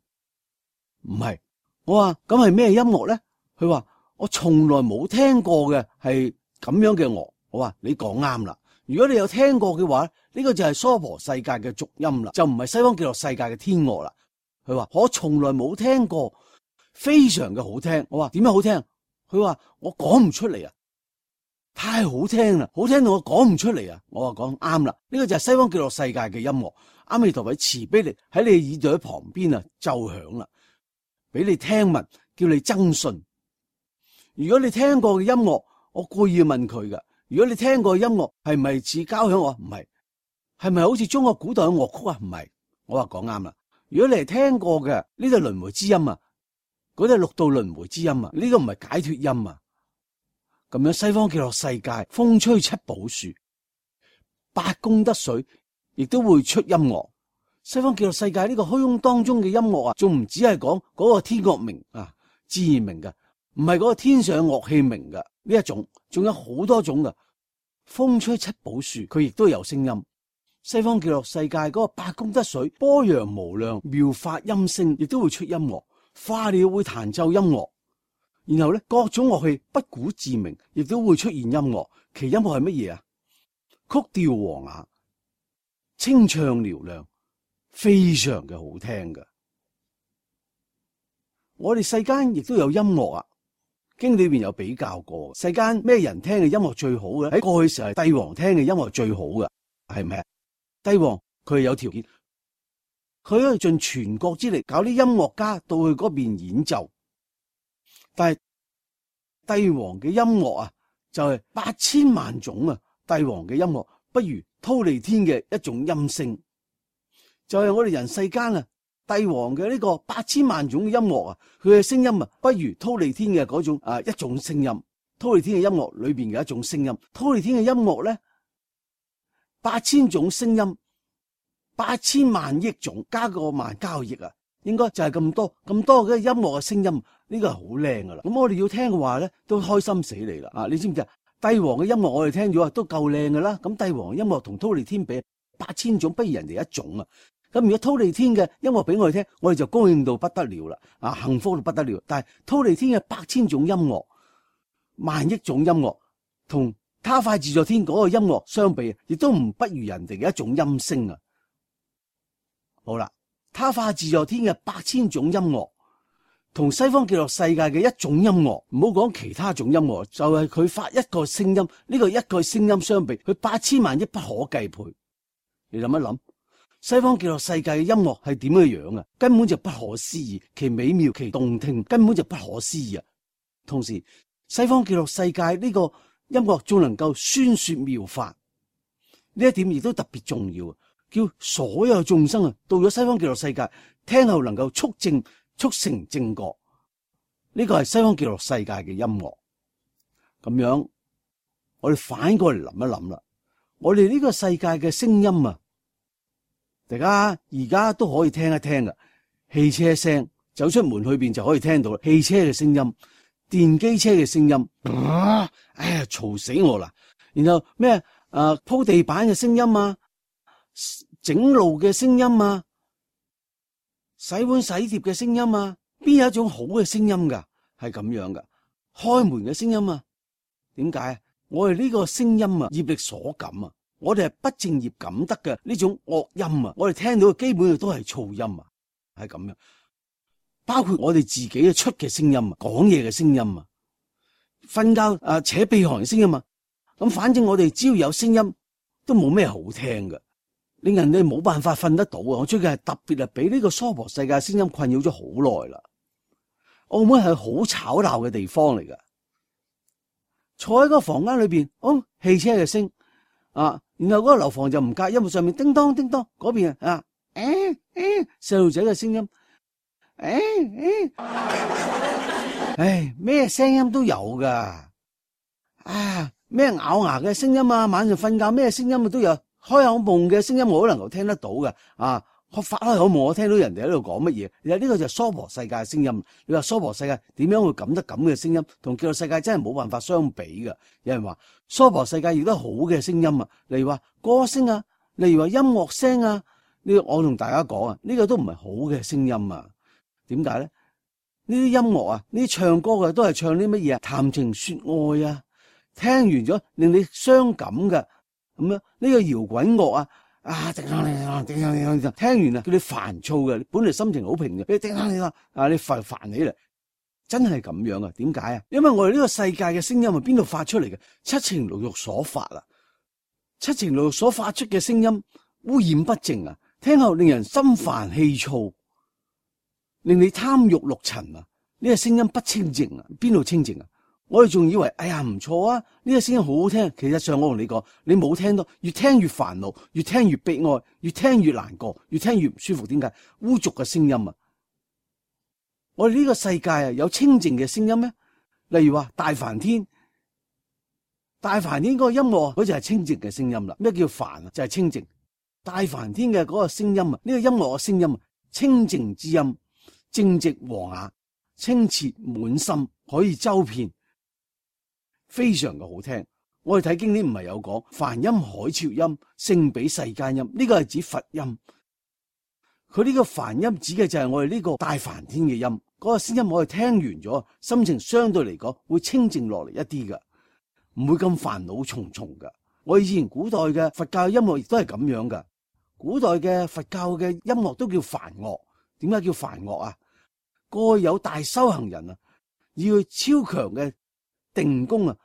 唔係。我話咁係咩音樂咧？佢話我從來冇聽過嘅係咁樣嘅樂。我話你講啱啦，如果你有聽過嘅話，呢個就係娑婆世界嘅俗音啦，就唔係西方極樂世界嘅天樂啦。佢話我從來冇聽過，非常嘅好聽。我話點樣好聽？佢話我講唔出嚟啊，太好聽啦，好聽到我講唔出嚟啊。我話講啱啦，呢個就係西方極樂世界嘅音樂。阿彌陀佛慈悲你喺你耳朵旁邊啊奏響啦，俾你聽聞，叫你增信。如果你聽過嘅音樂，我故意問佢噶。如果你聽過嘅音樂係咪似交響樂？唔係。係咪好似中國古代嘅樂曲啊？唔係。我話講啱啦。如果你係聽過嘅，呢個輪迴之音啊，嗰啲係六道輪迴之音啊，呢個唔係解脫音啊。咁樣西方極樂世界風吹七寶樹，八功德水亦都會出音樂。西方極樂世界呢個虛空當中嘅音樂啊，仲唔只係講嗰個天樂鳴啊，自然鳴嘅。唔係嗰個天上樂器鳴嘅呢一種，仲有好多種嘅。風吹七寶樹，佢亦都有聲音。西方極樂世界嗰個八功德水，波揚無量妙法音聲，亦都會出音樂。花鳥會彈奏音樂，然後咧各種樂器不鼓自鳴，亦都會出現音樂。其音樂係乜嘢啊？曲調和雅，清唱嘹亮，非常嘅好聽嘅。我哋世間亦都有音樂啊。經裏邊有比較過，世間咩人聽嘅音樂最好嘅？喺過去時係帝王聽嘅音樂最好嘅，係咪啊？帝王佢有條件，佢可以盡全國之力搞啲音樂家到去嗰邊演奏。但係帝王嘅音樂啊，就係8000萬種啊！帝王嘅音樂不如忉利天嘅一種音聲，就係我哋人世間啊！帝王嘅呢個8000萬種嘅音樂啊，佢嘅聲音啊，不如忉利天嘅嗰種一種聲音。忉利天嘅音樂裏邊嘅一種聲音，忉利天嘅音樂咧，8000種聲音，8000萬億種，加個萬加個億啊，應該就係咁多嘅音樂嘅聲音，呢個係好靚噶啦。咁我哋要聽嘅話咧，都開心死你啦！你知唔知啊？帝王嘅音樂我哋聽咗啊，都夠靚噶啦。咁帝王嘅音樂同忉利天比，8000種不如人哋一種啊。咁如果忉利天嘅音樂俾我哋聽，我哋就高興到不得了啦，幸福到不得了。但係忉利天嘅8000種音樂、萬億種音樂，同他快自在天嗰個音樂相比，亦都唔不如人哋嘅一種音聲啊！好啦，他化自在天嘅8000種音樂，同西方極樂世界嘅一種音樂，唔好講其他種音樂，就係佢發一個聲音，呢個一個聲音相比，佢8000萬億不可計倍。你諗一諗，西方極樂世界嘅音樂係點嘅樣啊？根本就不可思議，其美妙其動聽，根本就不可思議啊！同時，西方極樂世界呢個音樂仲能夠宣說妙法，呢一點亦都特別重要啊！叫所有眾生啊，到咗西方極樂世界，聽後能夠促成正覺，呢個係西方極樂世界嘅音樂。咁樣，我哋反過嚟諗一諗啦，我哋呢個世界嘅聲音啊，大家而家都可以聽一聽噶，汽車聲，走出門去邊就可以聽到啦，汽車嘅聲音。電機車嘅聲音，哎呀，嘈死我啦！然後咩鋪地板嘅聲音啊，整路嘅聲音啊，洗碗洗碟嘅聲音啊，邊有一種好嘅聲音噶？係咁樣噶，開門嘅聲音啊，點解？我哋呢個聲音啊，業力所感啊，我哋係不正業感得嘅呢種惡音啊，我哋聽到嘅基本上都係噪音啊，係咁樣。包括我哋自己嘅出嘅聲音啊，講嘢嘅聲音啊，瞓覺扯鼻鼾嘅聲音啊，咁反正我哋只要有聲音都冇咩好聽嘅，令人哋冇辦法瞓得到啊！我最近係特別俾呢個娑婆世界聲音困擾咗好耐啦。澳門係好吵鬧嘅地方嚟噶，坐喺個房間裏邊，汽車嘅聲啊，然後嗰個樓房就唔隔音，上面叮當叮當，嗰邊細路仔嘅聲音。咩聲音都有噶，咩咬牙嘅聲音啊，晚上瞓覺咩聲音都有，開口夢嘅聲音我都能夠聽得到嘅，發開口夢我聽到人哋喺度講乜嘢，其實呢個就係娑婆世界嘅聲音。你話娑婆世界點樣會感得咁嘅聲音，同極樂世界真係冇辦法相比嘅。有人話娑婆世界亦都好嘅聲音啊，例如話歌聲啊，例如話音樂聲啊，我同大家講啊，呢個都唔係好嘅聲音啊。點解咧？呢啲音樂啊，呢啲唱歌嘅都係唱啲乜嘢啊？談情說愛啊，聽完咗令你傷感嘅咁樣。呢個搖滾樂啊，聽完啊，叫你煩躁嘅，本嚟心情好平嘅，你煩起嚟，真係咁樣啊？點解啊？因為我哋呢個世界嘅聲音係邊度發出嚟嘅？七情六欲所發啊，七情六欲所發出嘅聲音污染不淨啊，聽後令人心煩氣躁。令你貪欲六塵啊！呢個聲音不清淨啊，邊度清淨啊？我哋仲以為唔錯啊，呢個聲音好好聽。其實上我同你講，你冇聽到，越聽越煩惱，越聽越悲哀，越聽越難過，越聽越唔舒服。點解？污濁嘅聲音啊！我哋呢個世界啊，有清淨嘅聲音咩？例如話大梵天，大梵天嗰個音樂，嗰就係清淨嘅聲音啦。咩叫梵啊？就係清淨。大梵天嘅嗰個聲音啊，呢個音樂嘅聲音啊，清淨之音。正直和雅，清澈滿心，可以周遍，非常嘅好聽。我哋睇經典唔係有講，梵音海潮音，勝比世間音，呢個係指佛音。佢呢個梵音指嘅就係我哋呢個大梵天嘅音，嗰個聲音我哋聽完咗，心情相對嚟講會清靜落嚟一啲嘅，唔會咁煩惱重重嘅。我以前古代嘅佛教音樂亦都係咁樣嘅，古代嘅佛教嘅音樂都叫梵樂。點解叫梵樂啊？過去有大修行人啊，要超強嘅定功啊，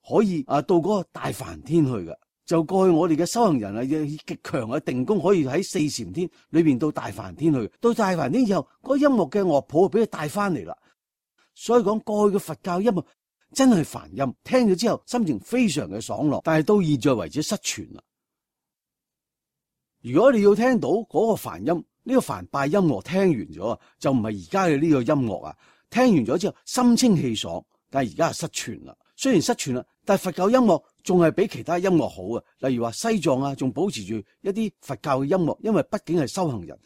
可以到嗰個大梵天去嘅。就過去我哋嘅修行人啊，以極強嘅定功，可以喺四禪天裏邊到大梵天去。到大梵天以後，嗰個音樂嘅樂譜俾佢帶翻嚟啦。所以講過去嘅佛教音樂真係梵音，聽咗之後心情非常嘅爽樂。但係到現在為止失傳啦。如果你要聽到嗰個梵音，呢個梵拜音樂聽完咗就唔係而家嘅呢個音樂啊！聽完咗之後心清氣爽，但係而家係失傳啦。雖然失傳啦，但係佛教音樂仲係比其他音樂好啊。例如話西藏啊，仲保持住一啲佛教嘅音樂，因為畢竟係修行人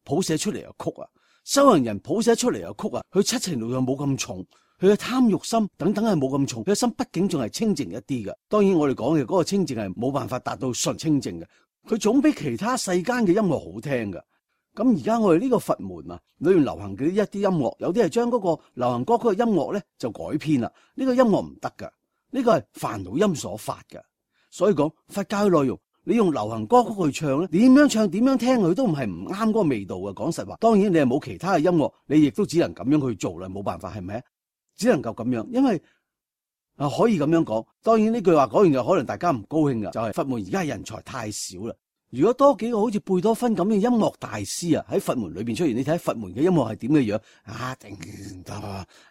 譜寫出嚟嘅曲啊。修行人譜寫出嚟嘅曲啊，佢七情六欲冇咁重，佢嘅貪欲心等等係冇咁重，佢嘅心畢竟仲係清淨一啲嘅。當然我哋講嘅嗰個清淨係冇辦法達到純清淨嘅，佢總比其他世間嘅音樂好聽嘅。咁而家我哋呢個佛門啊，裏面流行嘅一啲音樂，有啲係將嗰個流行歌曲嘅音樂咧就改編啦。呢個音樂唔得噶，呢個係煩惱音所發嘅。所以講佛教嘅內容你用流行歌曲去唱咧，點樣唱點樣聽佢都唔係唔啱嗰個味道嘅。講實話，當然你係冇其他嘅音樂，你亦都只能咁樣去做啦，冇辦法，係咪？只能夠咁樣，因為可以咁樣講。當然呢句話講完就可能大家唔高興噶，就係佛門而家人才太少啦。如果多幾個好似貝多芬咁嘅音樂大師啊，喺佛門裏邊出現，你睇佛門嘅音樂係點嘅樣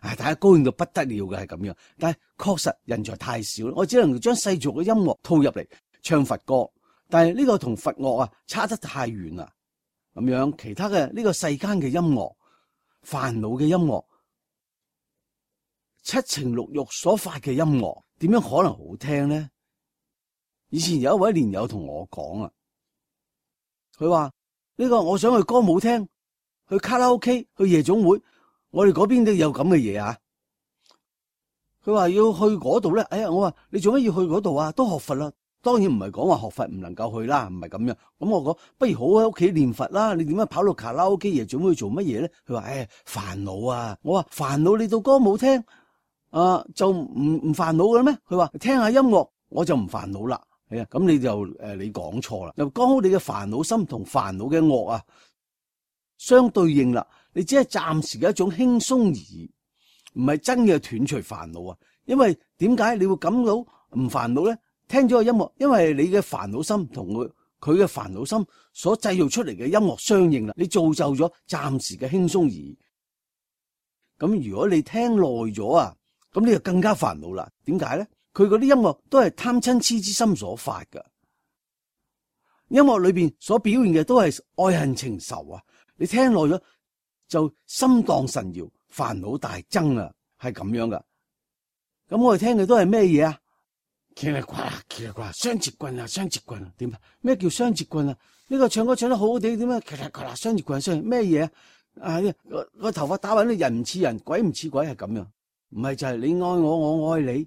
大家高興到不得了嘅係咁樣。但係確實人才太少，我只能將世俗嘅音樂套入嚟唱佛歌，但係呢個同佛樂啊差得太遠啦。咁樣其他嘅呢個世間嘅音樂、煩惱嘅音樂、七情六欲所發嘅音樂，點樣可能好聽呢？以前有一位蓮友同我講啊。佢話呢個我想去歌舞廳、去卡拉 OK、去夜總會，我哋嗰邊都有咁嘅嘢啊。佢話要去嗰度咧，我話你做乜要去嗰度啊？都學佛啦，當然唔係講話學佛唔能夠去啦，唔係咁樣。咁我講不如好喺屋企念佛啦。你點解跑到卡拉 OK、夜總會去做乜嘢咧？佢話煩惱啊。我話煩惱，你到歌舞廳就唔煩惱嘅咩？佢話聽下音樂我就唔煩惱啦。咁你就你講錯啦，又剛好你嘅煩惱心同煩惱嘅惡啊相對應啦，你只係暫時嘅一種輕鬆而已，唔係真嘅斷除煩惱啊。因為點解你會感到唔煩惱咧？聽咗個音樂，因為你嘅煩惱心同佢嘅煩惱心所製造出嚟嘅音樂相應啦，你造就咗暫時嘅輕鬆而已。咁如果你聽耐咗啊，咁你就更加煩惱啦。點解咧？佢嗰啲音樂都係貪嗔痴之心所發噶，音樂裏邊所表現嘅都係愛恨情仇啊！你聽耐咗就心蕩神搖，煩惱大增啊，係咁樣噶。咁我哋聽嘅都係咩嘢啊？奇啦呱啦，奇啦呱啦，雙截棍啊，雙截棍啊，點啊？咩叫雙截棍啊？呢個唱歌唱得好好地，點啊？奇啦呱啦，雙截棍，雙咩嘢啊？個頭髮打勻，人唔似人，鬼唔似鬼，係咁樣。唔係就係你愛我，我愛你。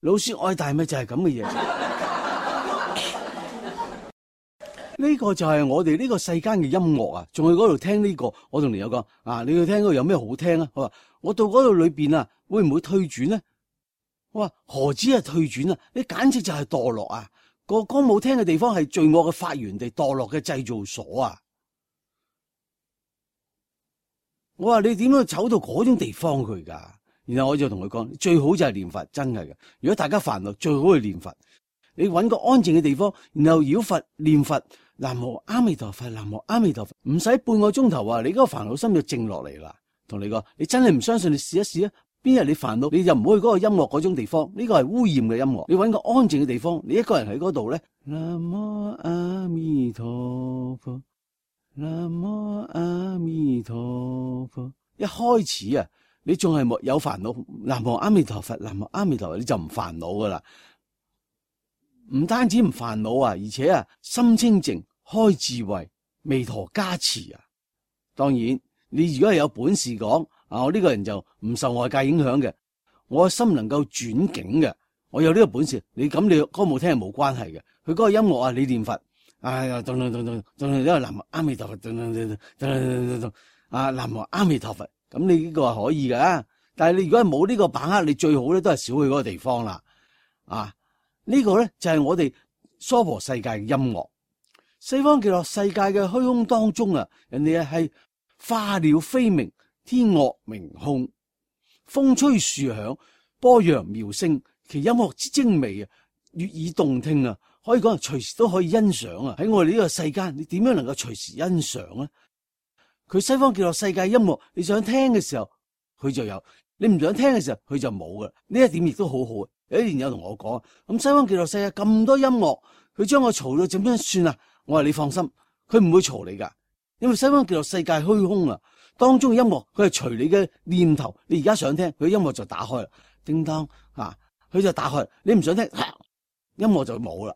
老師愛大咪就係咁嘅嘢，呢個就係我哋呢個世間嘅音樂啊！仲去嗰度聽呢個，我同你有講你去聽嗰度有咩好聽啊？佢話我到嗰度裏邊啊，會唔會退轉呢？我話何止係退轉啊？你簡直就係墮落啊！個歌舞廳嘅地方係罪惡嘅發源地，墮落嘅製造所啊！我話你點樣走到嗰種地方去噶？然後我就同佢講，最好就係念佛，真係嘅。如果大家煩惱，最好去念佛。你搵個安靜嘅地方，然後繞佛念佛，南無阿彌陀佛，南無阿彌陀佛，唔使半個鐘頭啊，你嗰個煩惱心就靜落嚟啦。同你講，你真係唔相信，你試一試啊。邊日你煩惱，你就唔好去嗰個音樂嗰種地方，呢個係污染嘅音樂。你搵個安靜嘅地方，你一個人喺嗰度咧，南無阿彌陀佛，南無阿彌陀佛。一開始啊，你仲係有煩惱，南無阿彌陀佛，南無阿彌陀佛，你就唔煩惱噶啦。唔單止唔煩惱啊，而且啊，心清淨，開智慧，彌陀加持啊。當然，你如果係有本事講我呢個人就唔受外界影響嘅，我心能夠轉境嘅，我有呢個本事。你咁你歌舞廳係冇關係嘅，佢嗰個音樂啊，你念佛，咚咚咚咚咚，因為南無阿彌陀佛，咚咚咚咚咚咚，南無阿彌陀佛。咁你呢個係可以㗎，但係你如果係冇呢個把握，你最好咧都係少去嗰個地方啦。呢個咧就係我哋娑婆世界嘅音樂。西方極樂世界嘅虛空當中啊，人哋係化鳥飛鳴，天樂鳴空，風吹樹響，波揚妙聲，其音樂之精微啊，悅耳動聽啊，可以講隨時都可以欣賞啊。喺我哋呢個世間，你點樣能夠隨時欣賞咧？佢西方極樂世界音樂，你想聽嘅時候佢就有，你唔想聽嘅時候佢就冇噶。呢一點亦都好好。有啲人有同我講，咁西方極樂世界咁多音樂，佢將我嘈到點樣算啊？我話你放心，佢唔會嘈你噶，因為西方極樂世界虛空啊，當中嘅音樂佢係隨你嘅念頭，你而家想聽，佢音樂就打開啦，叮當佢就打開，你唔想聽，音樂就冇啦。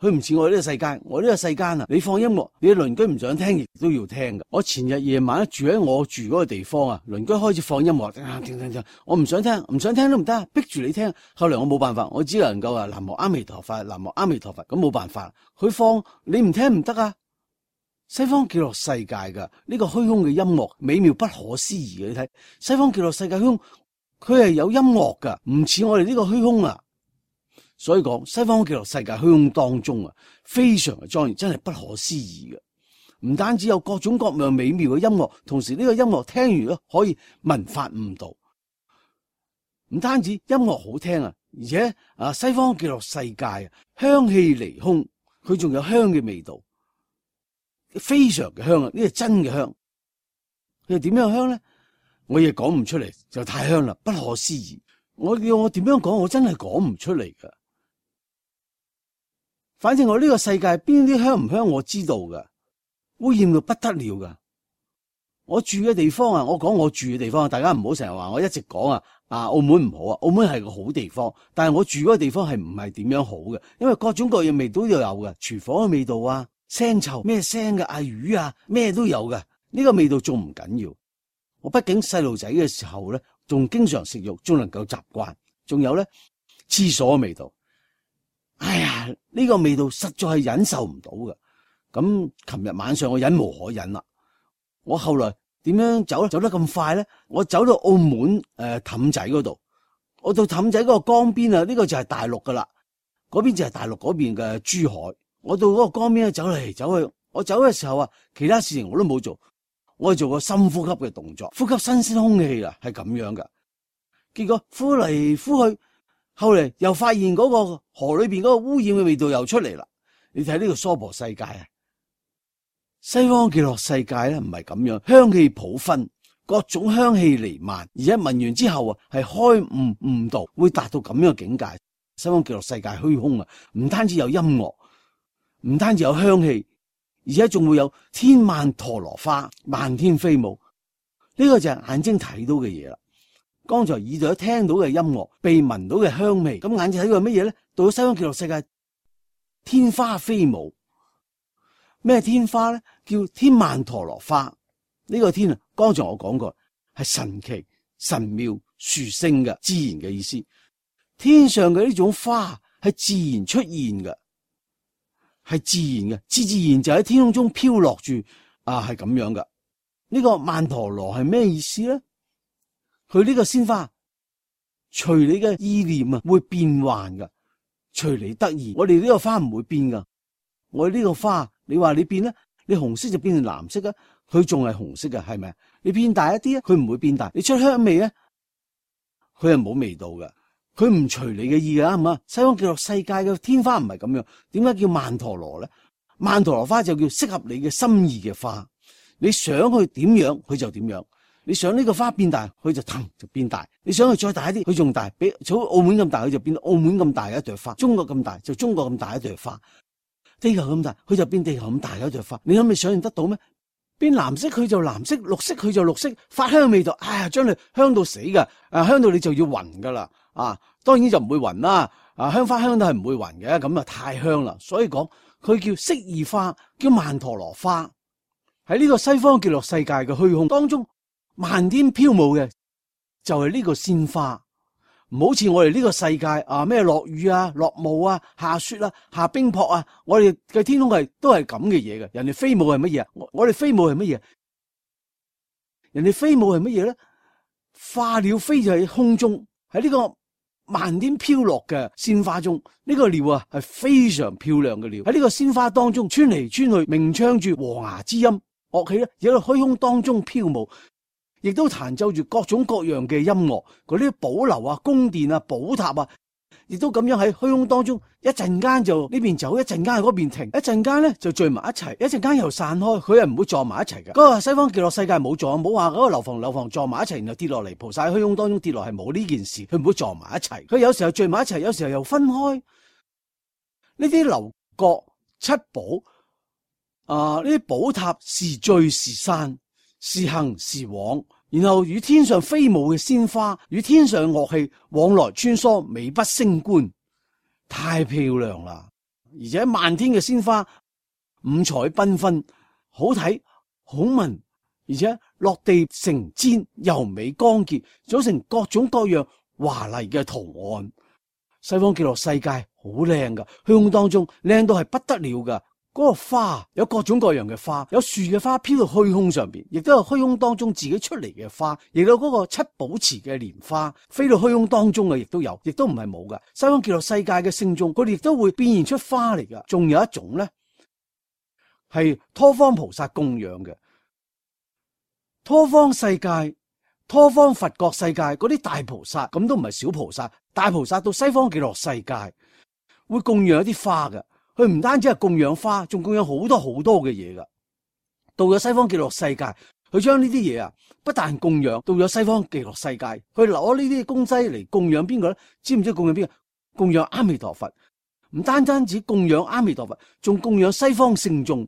佢唔似我呢個世界，我呢個世間啊，你放音樂，你嘅鄰居唔想聽亦都要聽噶。我前日夜晚住喺我住嗰個地方啊，鄰居開始放音樂，我唔想聽，唔想聽都唔得，逼住你聽。後嚟我冇辦法，我只能夠南無阿彌陀佛，南無阿彌陀佛，咁冇辦法。佢放你唔聽唔得啊！西方極樂世界噶呢個虛空嘅音樂美妙不可思議嘅，你睇西方極樂世界虛空，佢係有音樂噶，唔似我哋呢個虛空啊。所以講西方極樂世界虛空當中啊，非常嘅莊嚴，真係不可思議嘅。唔單止有各種各樣美妙嘅音樂，同時呢個音樂聽完咧可以聞法悟道。唔單止音樂好聽啊，而且西方極樂世界啊，香氣離空，佢仲有香嘅味道，非常嘅香啊！呢個真嘅香。佢係點樣香咧？我亦講唔出嚟，就太香啦，不可思議。我叫我點樣講，我真係講唔出嚟噶。反正我呢個世界邊啲香唔香我知道噶，污染到不得了噶。我住嘅地方啊，我講我住嘅地方，大家唔好成日話我一直講澳門唔好啊，澳門係個好地方，但係我住嗰個地方係唔係點樣好嘅，因為各種各樣味道都有嘅，廚房嘅味道啊，腥臭咩腥嘅魚啊，咩都有嘅，呢個味道仲唔緊要。我畢竟細路仔嘅時候咧，仲經常食肉，仲能夠習慣。仲有咧，廁所嘅味道，哎呀，呢個味道實在係忍受唔到嘅。咁琴日晚上我忍無可忍啦，我後來點樣走得咁快咧？我走到澳門氹仔嗰度，我到氹仔嗰個江邊啊，呢個就係大陸噶啦，嗰邊就係大陸嗰邊嘅珠海。我到嗰個江邊咧，走嚟走去，我走嘅時候啊，其他事情我都冇做。我做個深呼吸嘅動作，呼吸新鮮空氣啊，係咁樣噶。結果呼嚟呼去，後嚟又發現嗰個河裏邊嗰個污染嘅味道又出嚟啦。你睇呢個娑婆世界啊，西方極樂世界咧唔係咁樣，香氣普分，各種香氣彌漫，而且聞完之後啊，係開悟悟道，會達到咁樣嘅境界。西方極樂世界虛空啊，唔單止有音樂，唔單止有香氣。而且仲會有天曼陀羅花漫天飛舞，呢個就係眼睛睇到嘅嘢啦。剛才耳朵聽到嘅音樂，鼻聞到嘅香味，咁眼睛睇到係乜嘢咧？到咗西方極樂世界，天花飛舞。咩天花咧？叫天曼陀羅花。呢個天啊，剛才我講過係神奇、神妙、殊勝嘅自然嘅意思。天上嘅呢種花係自然出現嘅。係自然嘅，自然就喺天空中飄落住，係咁樣噶。呢個曼陀羅係咩意思咧？佢呢個鮮花，隨你嘅意念啊，會變幻噶，隨你得意。我哋呢個花唔會變噶，我哋呢個花，你話你變咧，你紅色就變成藍色啊，佢仲係紅色噶，係咪？你變大一啲啊，佢唔會變大。你出香味咧，佢係冇味道噶。佢唔隨你嘅意噶，係嘛？西方極樂世界嘅天花唔係咁樣，點解叫曼陀羅咧？曼陀羅花就叫適合你嘅心意嘅花，你想佢點樣，佢就點樣。你想呢個花變大，佢就騰就變大；你想佢再大一啲，佢仲大，比好澳門咁大，佢就變到澳門咁大嘅一朵花；中國咁大就中國咁大一朵花；地球咁大，佢就變地球咁大嘅一朵花。你可唔可以想象得到咩？變藍色佢就藍色，綠色佢就綠色，發香味道，哎呀，將你香到死噶，香到你就要暈噶啦。當然就唔會暈啦，香花香都係唔會暈嘅，咁啊太香啦，所以講佢叫適意花，叫曼陀羅花。喺呢個西方極樂世界嘅虛空當中，漫天飄舞嘅就係呢個鮮花，唔好似我哋呢個世界咩落雨啊、落霧啊、下雪啊、下冰雹啊，我哋嘅天空都係咁嘅嘢嘅。人哋飛舞係乜嘢？我哋飛舞係乜嘢？人哋飛舞係乜嘢咧？花鳥飛就喺空中，喺呢個漫天飄落嘅鮮花中，呢個鳥啊係非常漂亮嘅鳥，喺呢個鮮花當中穿嚟穿去，鳴唱住和雅之音，樂器咧喺度虛空當中飄舞，亦都彈奏住各種各樣嘅音樂，嗰啲寶樓啊、宮殿啊、寶塔啊，亦都咁樣喺虛空當中，一陣間就呢邊走，一陣間喺嗰邊停，一陣間咧就聚埋一齊，一陣間又散開，佢係唔會撞埋一齊嘅。嗰個西方極樂世界冇撞，冇話嗰個樓房撞埋一齊，然後跌落嚟，菩薩喺虛空當中跌落，係冇呢件事，佢唔會撞埋一齊。佢有時候聚埋一齊，有時候又分開。呢啲樓閣七寶呢啲寶塔時聚時散，時行時往，然後與天上飛舞嘅鮮花，與天上嘅樂器往來穿梭，美不勝觀，太漂亮啦！而且漫天嘅鮮花，五彩繽紛，好睇好聞，而且落地成氈，柔美光潔，組成各種各樣華麗嘅圖案。西方極樂世界好靚噶，虛空當中靚到係不得了噶。嗰個花有各種各樣嘅花，有樹嘅花飄到虛空上邊，亦都有虛空當中自己出嚟嘅花，亦有嗰個七寶池嘅蓮花飛到虛空當中嘅，亦都有，亦都唔係冇噶。西方極樂世界嘅聖眾，佢哋亦都會變現出花嚟噶。仲有一種咧，係多方菩薩供養嘅。多方世界、多方佛國世界嗰啲大菩薩，咁都唔係小菩薩，大菩薩到西方極樂世界會供養一啲花嘅。佢唔單止係供養花，仲供養好多好多嘅嘢噶。到咗西方極樂世界，佢將呢啲嘢啊，不但供養，到咗西方極樂世界，佢攞呢啲供西嚟供養邊個咧？知唔知供養邊個？供養阿彌陀佛。唔單止供養阿彌陀佛，仲供養西方聖眾，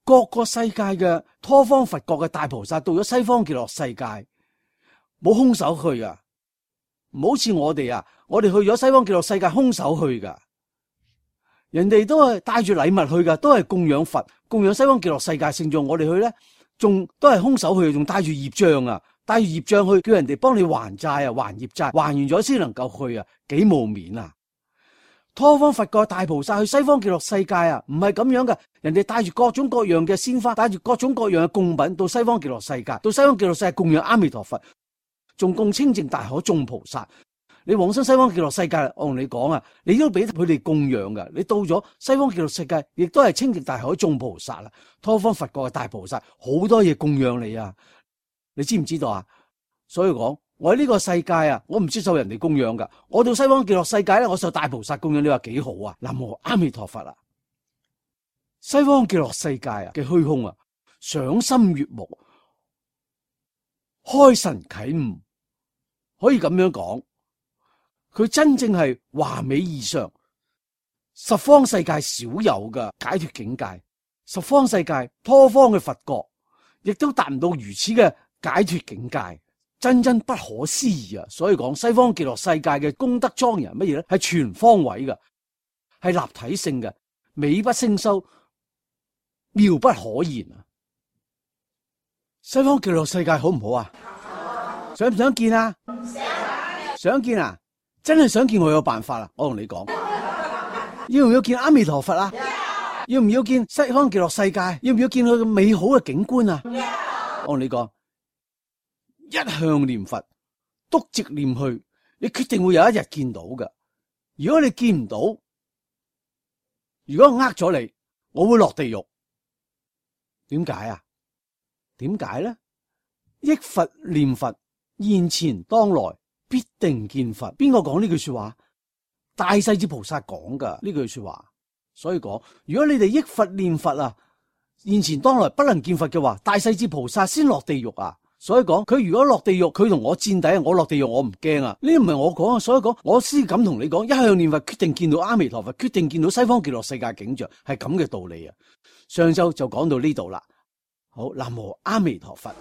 各個世界嘅多方佛國嘅大菩薩，到咗西方極樂世界，冇空手去啊！唔好似我哋啊，我哋去咗西方極樂世界空手去噶。人哋都係帶住禮物去噶，都係供養佛、供養西方極樂世界聖眾。我哋去咧，仲都係空手去，仲帶住業障啊，帶住業障去，叫人哋幫你還債啊，還業債，還完咗先能夠去啊，幾冇面啊！多方佛國大菩薩去西方極樂世界啊，唔係咁樣噶，人哋帶住各種各樣嘅鮮花，帶住各種各樣嘅供品到西方極樂世界，到西方極樂世界供養阿彌陀佛，仲供清淨大海眾菩薩。你往生西方極樂世界，我同你講啊，你都俾佢哋供養噶。你到咗西方極樂世界，亦都係清淨大海眾菩薩啦，多方佛國嘅大菩薩，好多嘢供養你啊！你知唔知道啊？所以講，我喺呢個世界啊，我唔接受人哋供養噶。我到西方極樂世界咧，我受大菩薩供養，你話幾好啊？南無阿彌陀佛啊！西方極樂世界啊嘅虛空啊，賞心悅目，開神啟悟，可以咁樣講。佢真正係華美異常，十方世界少有嘅解脫境界，十方世界多方嘅佛國，亦都達唔到如此嘅解脫境界，真不可思議啊！所以講西方極樂世界嘅功德莊嚴乜嘢咧？係全方位嘅，係立體性嘅，美不勝收，妙不可言啊！西方極樂世界好唔好啊？想唔想見啊？想見啊！真係想見，我有辦法啦！我同你講，要唔要見阿彌陀佛啊？要唔要見西方極樂世界？要唔要見佢嘅美好嘅景觀啊？我同你講，一向念佛，篤直念去，你決定會有一日見到嘅。如果你見唔到，如果我呃咗你，我會落地獄。點解啊？點解咧？憶佛念佛，現前當來，必定見佛。邊個講呢句說話？大勢至菩薩講噶呢句說話。所以講，如果你哋憶佛念佛啊，現前當來不能見佛嘅話，大勢至菩薩先落地獄啊。所以講，佢如果落地獄，佢同我戰底，我落地獄我唔驚啊。呢唔係我講啊，所以講我先敢同你講，一向念佛，決定見到阿彌陀佛，決定見到西方極樂世界景象，係咁嘅道理啊。上晝就講到呢度啦。好，南無阿彌陀佛。